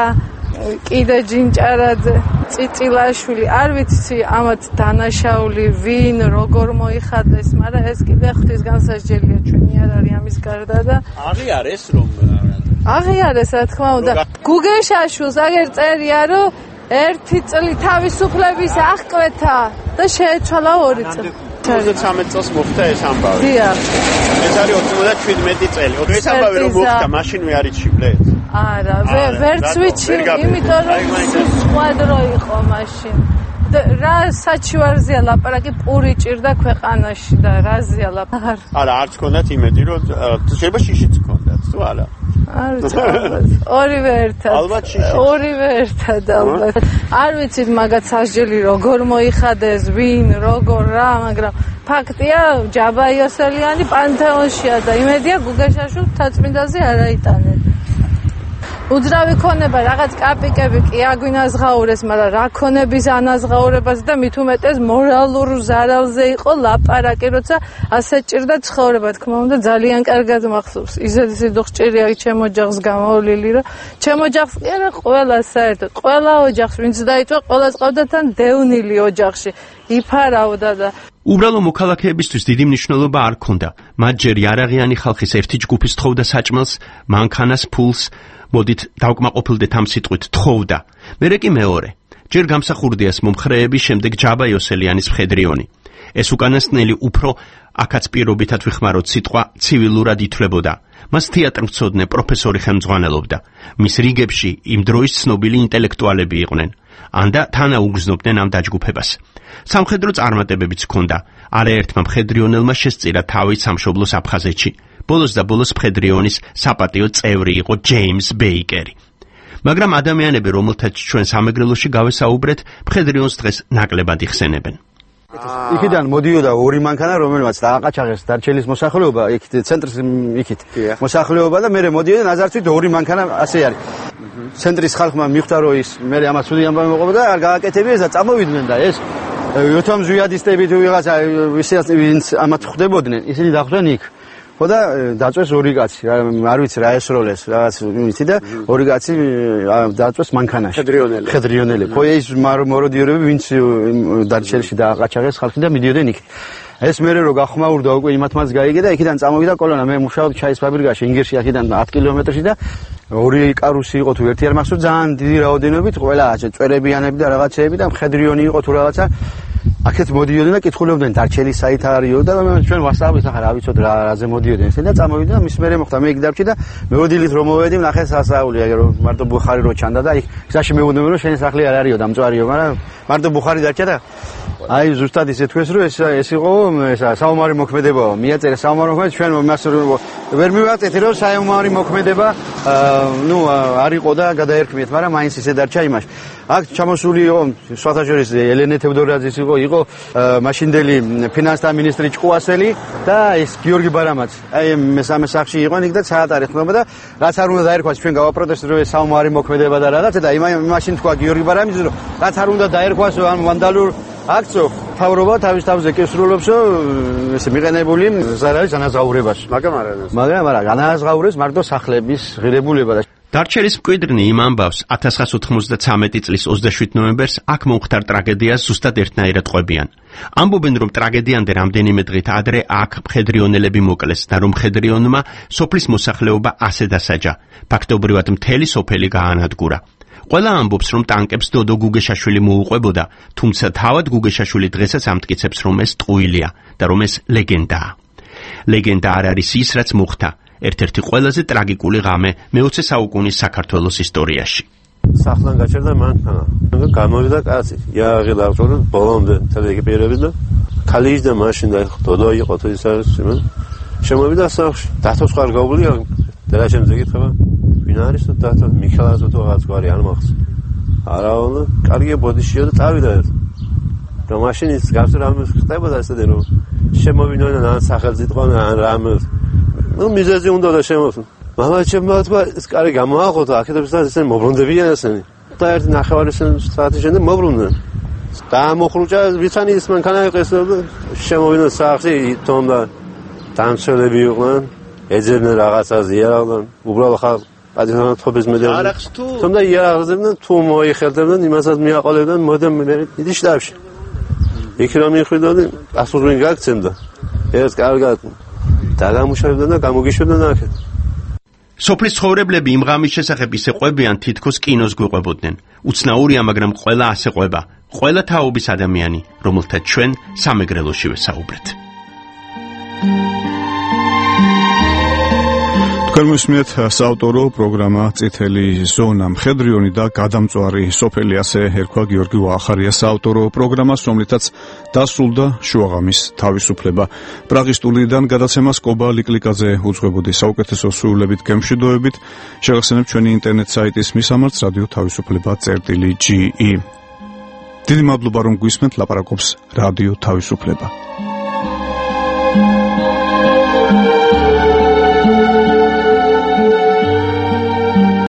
კიდე ჯინჭარაძე, წიწილაშვილი, არ ვიცი ამათ დანაშაული ვინ, როგორ მოიხადეს, მაგრამ ეს კიდე ღვთის განსასჯელია, ჩვენი არ არის ამის გარდა და აღიარეს რომ აღიარეს რა თქმა უნდა. გუგეშაშვილს აგერ წერია რომ 1 წელი თავისუფლების აღკვეთა და შეეცვალა 2 წელი. 33 წელს მოხდა ეს ამბავი. დიახ. ეს არის 97 წელი. ეს ამბავი რომ მოხდა, მაშინ მე არის ჩიბლეთ. არა, ვერც ვიცი, იმიტომ რომ სკვადრო იყო მაშინ. რა საჩივარზეა ლაპარაკი, პური ჭირდა ქვეყანაში და რაზეა ლაპარაკი. არა, არც გქონდათ იმედი, რომ შეიძლება შიშიც გქონდათ, თუ არა? არ ვიცი, ორივე ერთად. ალბათ შიში. ორივე ერთად ალბათ. არ ვიცით მაგათ სასჯელი როგორ მოიხადეს, ვინ, როგორ რა, მაგრამ ფაქტია, ჯაბა იოსელიანი პანთეონშია და იმედია გუგეშაშვილს თაწმინდაზე არ აიტანენ. უძრავი ქონება, რაღაც კაპიკები კი აგვინაზღაურეს, მაგრამ რა ქონების ანაზღაურებას და მით უმეტეს მორალურ ზარალზე იყო ლაპარაკი, როცა ასე ჭირდა ცხოვრება, თქმა უნდა, ძალიან კარგად მახსოვს. ისეთი სიდუხ ჭირია ჩემ ოჯახს გამოვლილი, რომ ჩემ ოჯახს კი არა, ყველა საერთოდ, ყველა ოჯახს, ვინც დაიწვა, ყველას ყავდა თან დევნილი ოჯახში. იფარავდა და უბრალო მოქალაქეებისთვის დიდი მნიშვნელობა არ ჰქონდა. მათ ჯერ იარაღიანი ხალხის ერთი ჯგუფი თხოვდა საჭმელს, მანქანას, ფულს, მოდით დავკმაყოფილდეთ ამ სიტყვით თხოვდა. მერე კი მეორე. ჯერ გამსახურდიას მომხრეები, შემდეგ ჯაბა იოსელიანის მხედრიონი. ეს უკანასკნელი უფრო აქაც პირობითად ვიხმაროთ სიტყვა ცივილურად ითვლებოდა. მას თეატრმცოდნე პროფესორი ხელმძღვანელობდა. მის რიგებში იმ დროის ცნობილი ინტელექტუალები იყვნენ. ანდა თანაუგრძნობდნენ ამ დაჯგუფებას. სამხედრო წარმატებებიც ჰქონდა. არაერთმა მხედრიონელმა შესწირა თავი სამშობლოს აფხაზეთში. ბოლოს და ბოლოს მხედრიონის საპატიო წევრი იყო ჯეიმს ბეიკერი. მაგრამ ადამიანები, რომელთაც ჩვენ სამეგრელოში გავესაუბრეთ, მხედრიონს დღეს ნაკლებად იხსენებენ. იქიდან მოდიოდა ორი მანქანა, რომელმაც დააყაჩაღეს დარჩელის მოსახლეობა, იქით ცენტრის იქით მოსახლეობა და მე მოდიოდა ნაზარცვით ორი მანქანა ასე არის. ცენტრის ხალხმა მიხვდა რომ ის მე ამას სუდი ამბავი მოყვა და არ გააკეთებიეს და წამოვიდნენ და ეს იოთამ ზვიადისტები თუ ვიღაცა ვინც ამათ ხვდებოდნენ, ისინი დახვდნენ იქ. ხო და დაწვეს ორი კაცი, არ ვიცი რა ესროლეს, რაღაც ვიცი და ორი კაცი დაწვეს მანქანაში. ხედრიონელი. ხო ეს მოროდიორები ვინც დარჩელში დააყაჩაღეს ხალხი და მიდიოდნენ იქ. ეს მერე რო გახმაურდა უკვე იმათმაც გაიგე და იქიდან წამოვიდა კოლონა. მე მუშაობდი ჩაის ფაბრიკაში ინგერში, აქედან 10 კილომეტრში და ორი კარუსი იყო თუ ერთი არ მახსოვს, ძალიან დიდი რაოდენობით, ყველა წვერებიანები და რაღაცეები და მხედრიონი იყო თუ რაღაცა. აქეთ მოდიოდნენ და კითხულებდნენ დარჩელის საით არისო და ჩვენ ვასწავლეთ ახლა რა ვიცოთ რაზე მოდიოდნენ ისინი და წამოვიდნენ და მის მერე მოხდა მე იქ დავჭი და მეოდილით რომ მოვედი ნახე სასაული რომ მარტო ბუხარი რო ჩანდა და იქ გზაში მეუბნები რომ შენი სახლი არ არისო დამწვარიო მაგრამ მარტო ბუხარი დარჩა და აი ზუსტად ისე თქვეს რომ ეს იყო ესა საომარი მოქმედებაა მიაწერე საომარი მოქმედება ჩვენ მას ვერ მივაწეთ რომ საომარი მოქმედება ნუ არ იყო და გადაერქმიეთ მაგრამ მაინც ისე დარჩა იმაში აქ ჩამოსული იყო სხვათაშორის ელენე თევდორაძის იყო მაშინდელი ფინანსთა მინისტრი ჭკუასელი და ეს გიორგი ბარამაც აი მესამე სახლში იყო იქ და საათარი ხმობა და რაც არ უნდა დაერქვას ჩვენ გავაპროტესტეთ რომ ეს საომარი მოქმედება და რაღაცა და იმაშინ თქვა გიორგი ბარამიძე რომ რაც არ უნდა დაერქვას ამ ვანდალურ აქცო თავრობა თავის თავზე კისრულობს ესე მიყენებული ზარალის ანაზღაურებაში მაგრამ არა განაზღაურეს მარტო სახლების ღირებულება და დარჩელის მკვიდრნი იმ ამბავს 1993 წლის 27 ნოემბერს აქ მომხდარ ტრაგედიას ზუსტად ერთნაირად ყვებიან. ამბობენ რომ ტრაგედიამდე რამდენიმე დღით ადრე აქ მხედრიონელები მოკლეს და რომ მხედრიონმა სოფლის მოსახლეობა ასე დასაჯა. ფაქტობრივად მთელი სოფელი გაანადგურა. ყველა ამბობს რომ ტანკებს დოდო გუგეშაშვილი მოუყვებოდა, თუმცა თავად გუგეშაშვილი დღესაც ამტკიცებს რომ ეს ტყუილია და რომ ეს ლეგენდაა. ლეგენდა არ არის ის რაც მოხდა. ერთ-ერთი ყველაზე ტრაგიკული ღამე მე-20 საუკუნის საქართველოს ისტორიაში. სახლან გაჩერდა მანქანა. გამოვიდა კაცი. იაღი დავწორე ბოლომდე თელეკიპირები და ქალიჯ და მაშინ და დოდო იყო თუ ის არის იმენ. შემოვიდა სახლში. დათოს ხარ გაუგლია და შემდგე ეკითხება ვინ არის თუ დათო მიქელაზო თუ რაღაც გვარი არ მახსოვს. არავინ კარგი ბოდიშია და წავიდა. და მაშინ ის გასულ რამე ხდებოდა ესეთი რომ შემოვიდნენ ან სახელმწიფო ან რამე ну მიზეზი უნდა და შემოსულ. მამა ჩემმა თქვა ეს კარი გამოაყო და აქედებს და ესენი მობრუნდებიან ესენი. და ერთი ნახევარი საათის შემდეგ მობრუნდნენ. დაამოხრუჭა ვიცანი ის მანქანა იყეს და შემოვიდნენ სახლში თონდა დამცველები იყვნენ. ეძებდნენ რაღაცას იარავდნენ. უბრალოდ ხალხ პატრიოტობის მედალი. თუმცა იარაღდებდნენ, თუ მოიხერდებდნენ, იმასაც მიაყოლებდნენ მოდემ დიდი შტაბში. იქ რომ მიხვიდოდი, პასუხი გაგცემდა. ეს კარგად დაგამუშავებდნენ და გამოგიშვებდნენ აქეთ. სოფლის ცხოვრებლები იმ ღამის შესახებ ისე ყვებიან, თითქოს კინოს გვიყვებოდნენ. უცნაურია, მაგრამ ყველა ასე ყვება. ყველა თაობის ადამიანი, რომელთა ჩვენ სამეგრელოში ვესაუბრეთ. თქვენ მოსმენთ საავტორო პროგრამა წითელი ზონა. მხედრიონი და გადამწვარი სოფელი, ასე ერქვა გიორგი ვაახარიას საავტორო პროგრამას, რომლითაც დასრულდა შუაღამის თავისუფლება. პრაღის სტუდიიდან გადაცემას კობა ლიკლიკაძე უძღვებოდი. საუკეთესო სრულებით გემშვიდობებით. შეგახსენებთ ჩვენი ინტერნეტ საიტის მისამართს რადიო თავისუფლება.ge. დიდი მადლობა რომ გვისმენთ, ლაპარაკობს რადიო თავისუფლება.